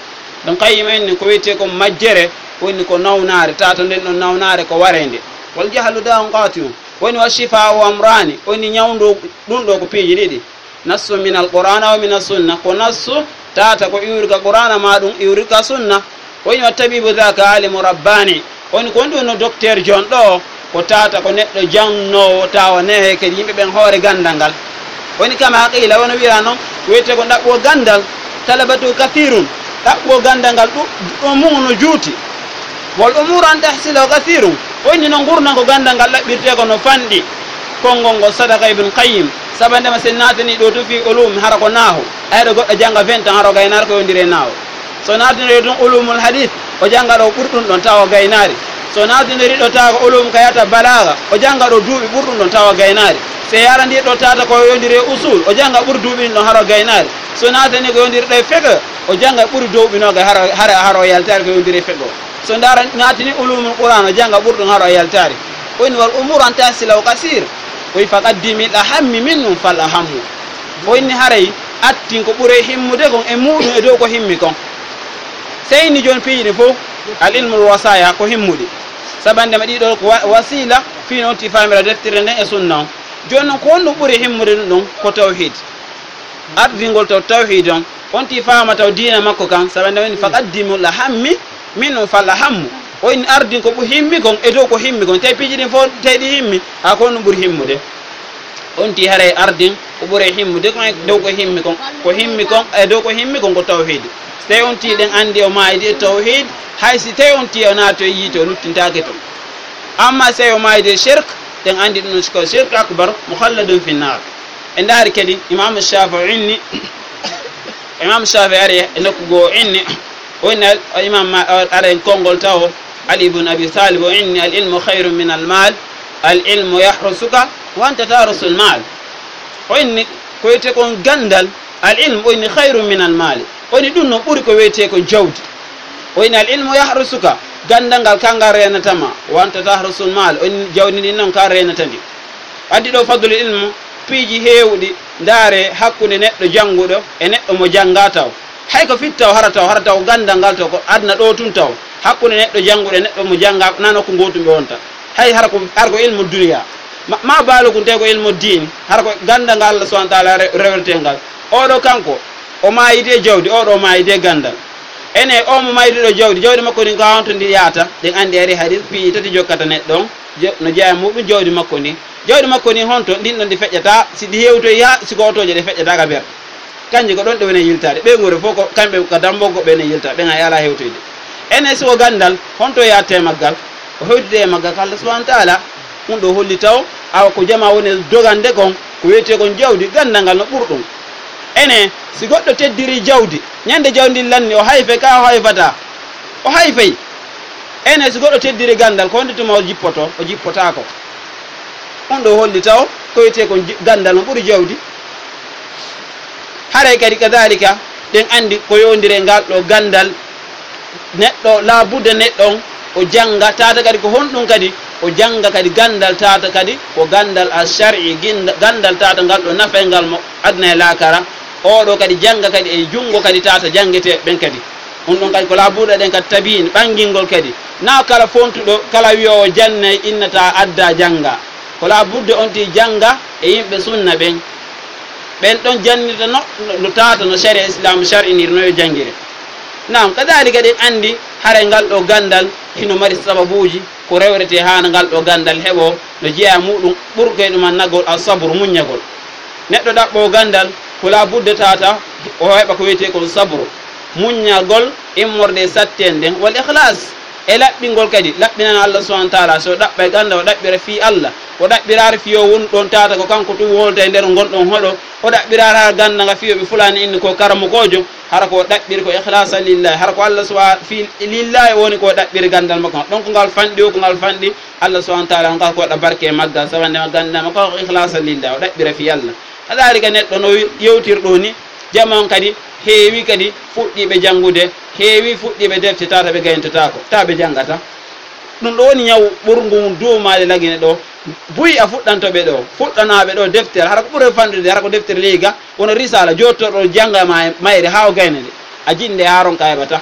Ibn Qayyim inni ko wi'etee ko majjere, woni ko nawnaare, tata nden ɗon nawnaare ko wareende. Wal jahlu da'un qati'un, woni wa shifa'u amrani, woni ñawndo ɗum ɗo ko piiji ɗiɗi. Nassu min al-Qur'ana wa min as-sunna, ko nassu tata ko iwri ka Qur'ana ma ɗum iwri ka sunna. O inni, "Wa tabibu dhaka alimu rabbani." O inni, "Ko woni ɗum no docteur jon ɗo, ko tata ko neɗɗo jannoowo, tawa nehe kadi yimɓe ɓen hoore ganndal ngal." O inni, "Kama qila, wono wiira noon, wiyetee ko ɗaɓɓo ganndal, talabatu kathirun, ɗaɓɓo ganndal ngal ɗu-, ɗo mum no juuti. Wal umuru an tahsila kathirun." O inni, "No ngurndan ko ganndal ngal ɗaɓɓirtee ko no fanɗi." Konngol ngol sadaka Ibn Qayyim. Sabandema sen naatani ɗo to fi ulum, hara ko nahu. Ayɗo goɗɗo jannga vingt ans, hara o gaynaari ko yondire nahu. So naatinoɗe tun ulumul hadith, o jannga ɗo ɓuri ɗum ɗon, tawa o gaynaari. So naatinoɗe ɗo tawa ko ulum ka yata balaga, o jannga ɗo duuɓi ɓuri ɗum ɗon, tawa o gaynaari. So yarandi ɗo tata ko yondire usul, o jannga ɓuri duuɓi ɗin ɗon, hara o gaynaari. So naatani ko yondire ɗo e fiqh, o jannga ɓuri duuɓi noga, hara, hara, hara o yaltaari ko yondire fiqh. So ndaara naatini ulumul Qur'an, o jannga ɓuri ɗum, hara o yaltaari. O inni, "Wal umuru an tahsila kasir." O inni, "Faqaddimil ahammi minhum fal ahammu." O inni, "Haray attin ko ɓuri himmude kon e muɗum e dow ko himmi kon." Sey ni jooni piiji ɗin fof, al ilmul wasaya ko himmuɗi. Sabandema ɗiɗo ko wa-, wasila, fii noon ti famira deftere nden e sunna on. Jooni noon ko honɗum ɓuri himmude ɗum ɗon? Ko tawhid. Ardingol taw tawhid on, on ti faama taw diina makko kan, sabandema o inni, "Faqaddimul ahammi minhum fal ahammu." O inni ardin ko ɓu-, himmi kon e dow ko himmi kon. Tawi piiji ɗin fof, tawi ɗi himmi, a ko honɗum ɓuri himmude? On ti haray ardin ko ɓuri himmude ko e dow ko himmi kon, ko himmi kon, e dow ko himmi kon ko tawhid. So tawi on ti ɗen andi o maayidi e tawhid, hay si tawi on ti o naati e yiite, o luttintaake ton. Amma so tawi o maayidi e shirk, ɗen andi ɗum ko shirk akbar, mukhalladun fi nnar. En ndaari kadi Imam Shafi'i o inni, Imam Shafi'i ari e nokku goo o inni, o inni al-, Imam Ma-, ara en konngol tawo, Ali ibn Abi Talib o inni, "Al ilmu khayrun min al mal, al ilmu yahrusuka wa anta tahrusul mal." O inni, ko wiyetee kon ganndal, al ilmu, o inni, "Khayrun min al mali." O inni, ɗum no ɓuri ko wiyetee ko jawdi. O inni, "Al ilmu yahrusuka, ganndal ngal kangal reenata ma, wa anta tahrusul mal." O inni, jawdi ndin noon kan reenata ndi. Addi ɗo fadlul ilmu, piiji heewuɗi, ndaare hakkunde neɗɗo jannguɗo e neɗɗo mo jannga taw. Hay ko fit taw, hara taw, hara taw ganndal ngal taw ko aduna ɗo tun taw. Hakkunde neɗɗo jannguɗo e neɗɗo mo jannga, na nokku gootum ɓe wonta. Hay hara ko, hara ko ilmu duniya. Ma, ma baalukun tawi ko ilmu diin, hara ko ganndal ngal Allah subhanahu wa ta'ala re-, rewretee ngal. Oɗo kanko, o maayidi e jawdi, oɗo o maayidi e ganndal. Ene, o mo maayduɗo jawdi, jawdi makko ndin ko honto ndi yahata? Ɗen andi ari hadis piiji tati jokkata neɗɗo on, je-, no jeyaa muɗum jawdi makko ndin. Jawdi makko ndin honto? Ndin ɗon ndi feƴƴata, si ndi hewtoyi haa si ko otooje ɗe feƴƴata ka ber. Kanje ko ɗon ɗe woni e yiltaade. Ɓeynguure fof ko kamɓe ka dambo goɓɓe ene yilta, ɓen ay alaa hewtoyde. Ene si ko ganndal, honto yahata e maggal? O hewtide e maggal ka Allah subhanahu wa ta'ala. Ɗum ɗo holli taw, awa ko jama woni dogande kon, ko wiyetee kon jawdi, ganndal ngal no ɓuri ɗum. Ene, si goɗɗo teddiri jawdi, ñande jawdi ndin lanni, o hayfay ka o hayfata? O hayfay. Ene, si goɗɗo teddiri ganndal, ko honde tuma o jippoto? O jippotaako. Ɗum ɗo holli taw, ko wiyetee kon ji-, ganndal no ɓuri jawdi. Haray kadi kadalika, ɗen andi ko yowndiri e ngal ɗo ganndal. Neɗɗo, laabudda neɗɗo on, o jannga, tata kadi ko honɗum kadi? O jannga kadi ganndal tata kadi, ko ganndal al shar'i, ginda-, ganndal tata ngal ɗo nafay ngal mo aduna e laakara. Oɗo kadi jannga kadi e junngo kadi tata janngetee ɓen kadi. Ɗum ɗon kadi ko laabudda ɗen kadi tabiin, ɓanngingol kadi. Na kala fontuɗo, kala wiyoowo jannay innata adda jannga. Ko laabudda on ti jannga e yimɓe sunna ɓen. Ɓen ɗon jannirta no, no, no tata no sharia Islam shar'inir no yo janngire. Naam, kadalika ɗen andi haray ngal ɗo ganndal hino mari sababuuji ko rewretee haa ngal ɗo ganndal heɓo no jeyaa muɗum ɓurkoy ɗum annagol al sabru muññagol. Neɗɗo ɗaɓɓo ganndal ko laabudda tata o heɓa ko wiyetee kon sabru. Muññagol immorde e sattee nden, wal ikhlas, e laɓɓingol kadi, laɓɓinana Allah subhanahu wa ta'ala. So ɗaɓɓay ganndal, o ɗaɓɓira fii Allah, o ɗaɓɓiraare fii o wonu ɗon tata ko kanko tun wolta e nder ngon ɗon hoɗo, o ɗaɓɓiraare haa ganndal ngal fii o ɓe fulani inni ko karamokoojo, hara ko o ɗaɓɓiri ko ikhlasa lillahi, hara ko Allah subha-, fii lillahi woni ko o ɗaɓɓiri ganndal makko. Ɗon ko ngal fanɗi o, ko ngal fanɗi Allah subhanahu wa ta'ala, on ngal ko waɗa barke e maggal, sabu nde ganndal makko ko ikhlasa lillahi, o ɗaɓɓira fii Allah. Kadalika neɗɗo no yewtir ɗo ni, jama on kadi heewi kadi fuɗɗiiɓe janngude, heewi fuɗɗiiɓe defte, tata ɓe gayntotaako, ta ɓe janngata. Ɗum ɗo woni ñaw ɓurngu mum duumaade Lagine ɗo. Buy a fuɗɗanto ɓe ɗo, fuɗɗanaa ɓe ɗo deftere, hara ko ɓuri fanɗude, hara ko deftere leyga, wono risala, jottoɗo jannga ma e mayre haa o gayna nde. A jiɗi nde haa ronka a heɓata.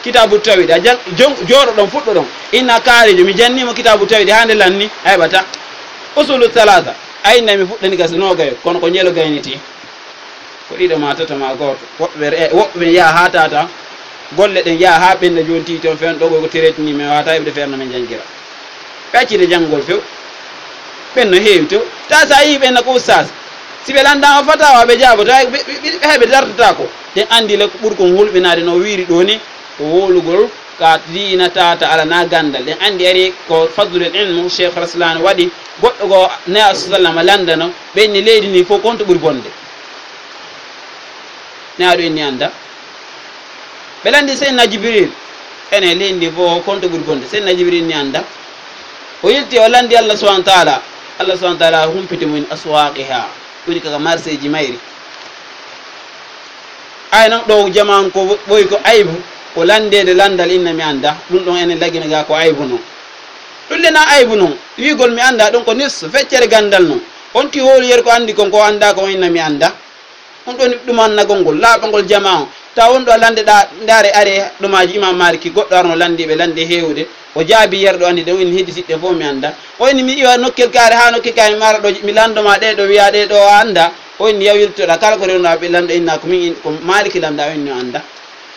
Kitaabu tawhid, a jang-, jon-, jooɗo ɗon, fuɗɗo ɗon. Inna kaarijo, mi janni mo kitaabu tawhid haa nde lanni, a heɓata. Usulu salasa, a inna mi fuɗɗani gasa noogayo, kono ko njelo gayniti. Ko ɗiɗo ma tato ma gooto. Woɓɓe ɓe re-, woɓɓe ɓe yaha haa tata. golle ɗen yaha haa ɓenna jooni, tii toon feewndo ɗo ko tiretini, mi waawata heɓde feere no min njanngira. Ɓe accide janngol few. Ɓen no heewi to. Ta so a yii ɓenna ko ustaas. Si ɓe lanndaama fatawa, ɓe jaaboto, hay ɓe, ɓe, ɓe, hay ɓe dartataako. Ɗen anndi le ko ɓuri kon hulɓinaade no wiiri ɗoo ni, ko wowlugol ka diina tata ala na ganndal. Ɗen anndi ari ko fadlul ilmu, Cheikh Raslan waɗi, goɗɗo goo ne a sallam lanndano, ɓe inni leydi ndi fof konto ɓuri bonde. Ne aɗo inni annda. Ɓe lanndi Seydina Jibril, ene leydi ndi fof konto ɓuri bonde. Seydina Jibril ni annda. O yilti, o lanndi Allah subhanahu wa taala. Allah subhanahu wa taala humpiti mo min aswaqiha. Woni kaka marseeji mayri. Ay non ɗo jama on ko ɓoy ko aybu, ko lanndeede lanndal inna mi annda. Ɗum ɗon enen lagina ga ko aybu non. Ɗum le na aybu non. Wiigol mi annda ɗum ko nis feccere ganndal non. On ti wowli yer ko anndi kon ko annda ko inna mi annda. On ɗon ɗumannagol ngol, laaɓangol jama on. Tawa won ɗo lannde ɗa, ndaare are ɗumaaji Imam Maliki, goɗɗo arno lanndiiɓe lannde heewude. O jaabi yerɗo anndi ɗen, o inni hedditiɗɗe fof mi annda. O inni mi iwa nokkel kaare haa nokkel kaare mi ara ɗo, mi lanndo ma ɗee ɗo wiya ɗee ɗo a annda. O inni yawirtoɗa kala ko rewnoɗa ɓe lanndo inna ko min in-, ko Maliki lannda, o inni o annda.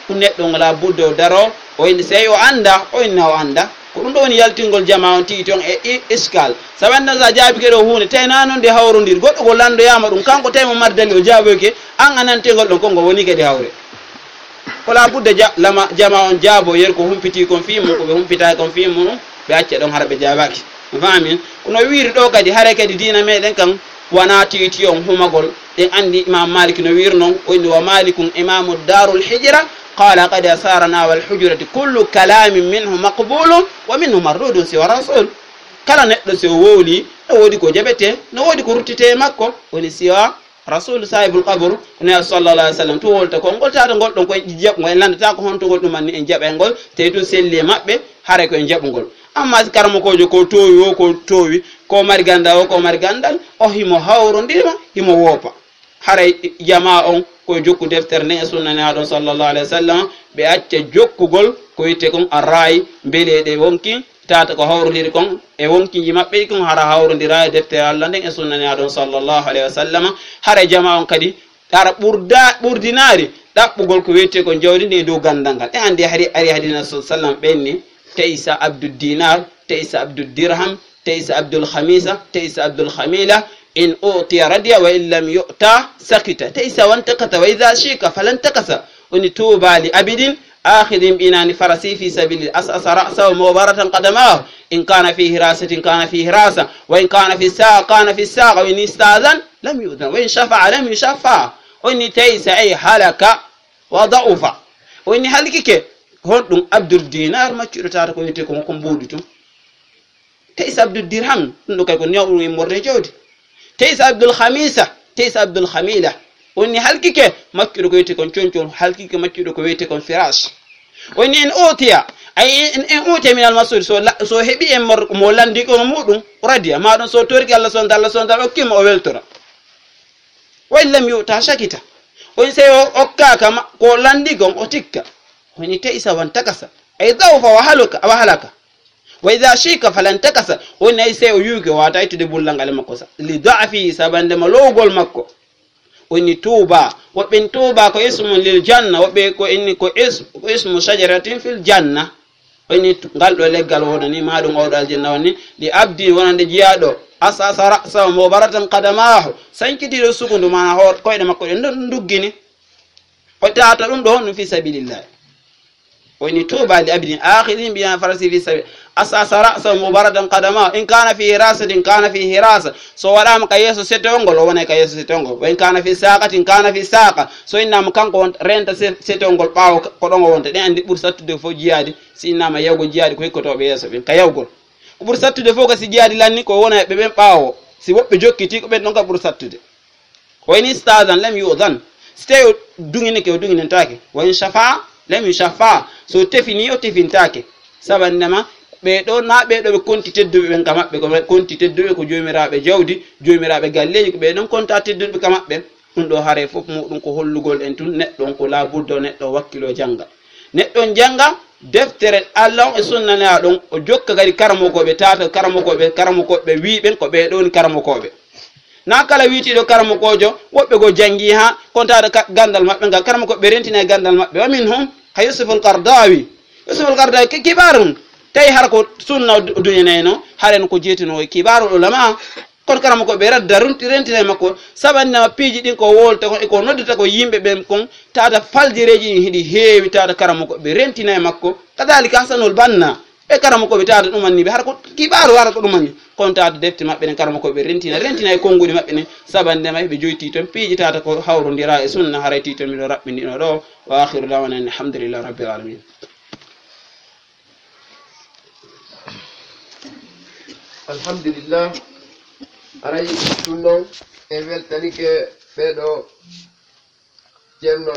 Ɗum neɗɗo ngo la budde o daro, o inni sey o annda, o inni o annda. Ko ɗum ɗo woni yaltingol jama on tigi toon e i-, iskal. Sabu anndi so a jaabike ɗo huunde, tawi na noon nde hawrondir. Goɗɗo ko lanndoyaama ɗum, kanko tawi mo mardali o jaaboyke, an a nantengol ɗon, konko woni kadi hawre. Ko la budde ja-, lama, jama on jaabo, yer ko humpiti kon fii mum, ko ɓe humpitaaki kon fii mum, ɓe acca ɗon hara ɓe jaabaaki. Mi faami? Kono wiiri ɗo kadi, hare kadi diina meɗen kan, wana titi on humagol. Ɗen anndi Imam Malik no wiiri non, o inni, "Wa Malikun imamu darul hijra, qala qad asarana wal hujrati kullu kalamin minhu maqbulun wa minhu mardudun siwa rasul." Kala neɗɗo si o wowli, no woodi ko jaɓete, no woodi ko ruttete e makko, woni siwa Rasul sahibul qabr, ko ne sallallahu alaihi wasallam, tu wolta ko ngol tata ngol ɗon ko en jaɓ, ngol en landata ko honto ngol ɗum anni en jaɓa ngol, tawi tun selli e maɓɓe, hare ko en jaɓugol. Amma si karamokoojo ko toowi o, ko toowi, ko mari gandal o, ko mari gandal, o himo hawrondirma, himo woopa. Haray jama on ko jokku deftere nden e sunna naaɗo sallallahu alaihi wasallam, ɓe acca jokkugol ko witte kon a raayi mbeleɗe wonki, tata ko hawrondiri kon e wonkinji maɓɓe kon, hara hawrondira e deftere Allah nden e sunna naaɗo sallallahu alaihi wasallam. Hara jama on kadi, hara ɓurda-, ɓurdinaari ɗaɓɓugol ko witte kon jawdi ndi e dow gandal ngal. E andi hari, ari hadina sallallahu alaihi wasallam ɓenni, "Taisa abdud dinar, taisa abdud dirham, taisa abdul khamisa, taisa abdul khamila, in utiya radiya wa in lam yu'ta sakita, taisa wantakasa, wa idha shika falantakasa." Woni, "Tuba li abidin akhidin binani farasi fi sabili asasa ra'sa wa mubaratan qadamahu, in kana fi hirasatin kana fi hirasa, wa in kana fi saqa kana fi saqa, wa in istazan lam yu'zan, wa in shafa'a lam yushaffa." Woni, "Taisa ay halaka wa da'ufa." Woni, halkike. Honɗum abdul dinar maccuɗo tata ko witte ko, ko mbuɗi tun. Taisa abdul dirham, ɗum ɗo kay ko newɗum e morde jawdi. Taisa abdul khamisa, taisa abdul khamila. Woni halkike maccuɗo ko wiyete kon concol, halkike maccuɗo ko wiyete kon firash. Woni en utiya, ay en, en utiya min al mas'ul, so la-, so heɓi en mor-, mo landi ko muɗum, radiya, ma ɗum so torki Allah subhanahu wa ta'ala, Allah subhanahu wa ta'ala okki mo o weltora. Wa in lam yu'ta shakita. Woni sey o okkaaka ma-, ko landi kon o tikka. Woni taisa wantakasa. Ay da'ufa wa haluka, wa halaka. Wa idha shika falantakasa. Woni ay sey o yuuki o wata ittude bullal ngal e makko sa. Li da'fi, sabande ma lowgol makko. Woni tuba. Woɓɓe tuba ko ismun lil janna. Woɓɓe ko inni ko is-, ko ismu shajaratin fil janna. Woni tu-, ngal ɗo leggal wonani ma ɗum oɗo aljanna woni. Li abdi wonande jiyaaɗo. Asasa ra'sa mubaratan qadamahu. Sankitiɗo sukundu mana hoor-, koyɗe makko ɗe ndu-, nduggini. O tata ɗum ɗo honɗum fi sabilillah. Woni tuba li abdin akhidin bi farasi fi sabi. Asasa ra'sa mubaratan qadama. In kana fi hirasatin kana fi hirasa. So waɗama ka yeeso setewol ngol, o wonay ka yeeso setewol ngol. Wa in kana fi saqatin kana fi saqa. So innama kanko won renta se-, setewol ngol ɓaawo ka-, ko ɗon o wonta. Ɗen andi ɓuri sattude fof jiyaadi. Si innama yawgol jiyaadi ko hikkotoɓe yeeso ɓen ka yawgol. Ko ɓuri sattude fof ka si jiyaadi lanni ko wona ɓe ɓen ɓaawo. Si woɓɓe jokkiti ko ɓen ɗon ka ɓuri sattude. Wa in istazan lam yu'zan. Si tawi o duŋinike, o duŋinantaake. Wa in shafa'a lam yushaffa. So tefini, o tefintaake. Sabannama, ɓee ɗoo, na ɓee ɗoo ɓe konti tedduɓe ɓen ka maɓɓe, ko ɓe konti tedduɓe ko joomiraaɓe jawdi, joomiraaɓe galleeji, ko ɓee ɗon konta tedduɓe ka maɓɓe. Ɗum ɗoo haray fof muɗum ko hollugol en tun neɗɗo on ko laabudda o neɗɗo o wakkiloo jannga. Neɗɗo on jannga deftere Allah on e sunna Nelaaɗo on, o jokka kadi karamokooɓe, taata karamokooɓe, karamokooɓe wii ɓen ko ɓee ɗoo woni karamokooɓe. Na kala wiitiiɗo karamokoojo, woɓɓe goo janngii haa kontaade ka-, ganndal maɓɓe ngal, karamokooɓe rentina e ganndal maɓɓe. Wa minhum Ka Yusuf al-Qardawi. Yusuf al-Qardawi ke kibaaru on. Tawi hara ko sunna o du-, duñanayno, haren ko jeetino e kibaaru ulama. Kono karamoko ɓe radda runti rentina e makko. Sabannama piiji ɗin ko wolta kon e ko noddata ko yimɓe ɓen kon. Tata faljireeji ɗin hiɗi heewi, tata karamoko ɓe rentina e makko. Kadalika Hasanul Banna. E karamoko ɓe tata ɗumanni ɓe. Hara ko kibaaru, hara ko ɗumanni. Kono tata defte maɓɓe ɗen karamoko ɓe rentina, rentina e konnguɗi maɓɓe ɗin. Sabannama ɓe joyti ton piiji tata ko hawrondira e sunna, haray titon miɗo raɓɓindino ɗo. Wa akhiru da'wana anil hamdulillahi rabbil alamin. Alhamdulillah. Aray ɗum noon en weltanike ɓeeɗo ceerno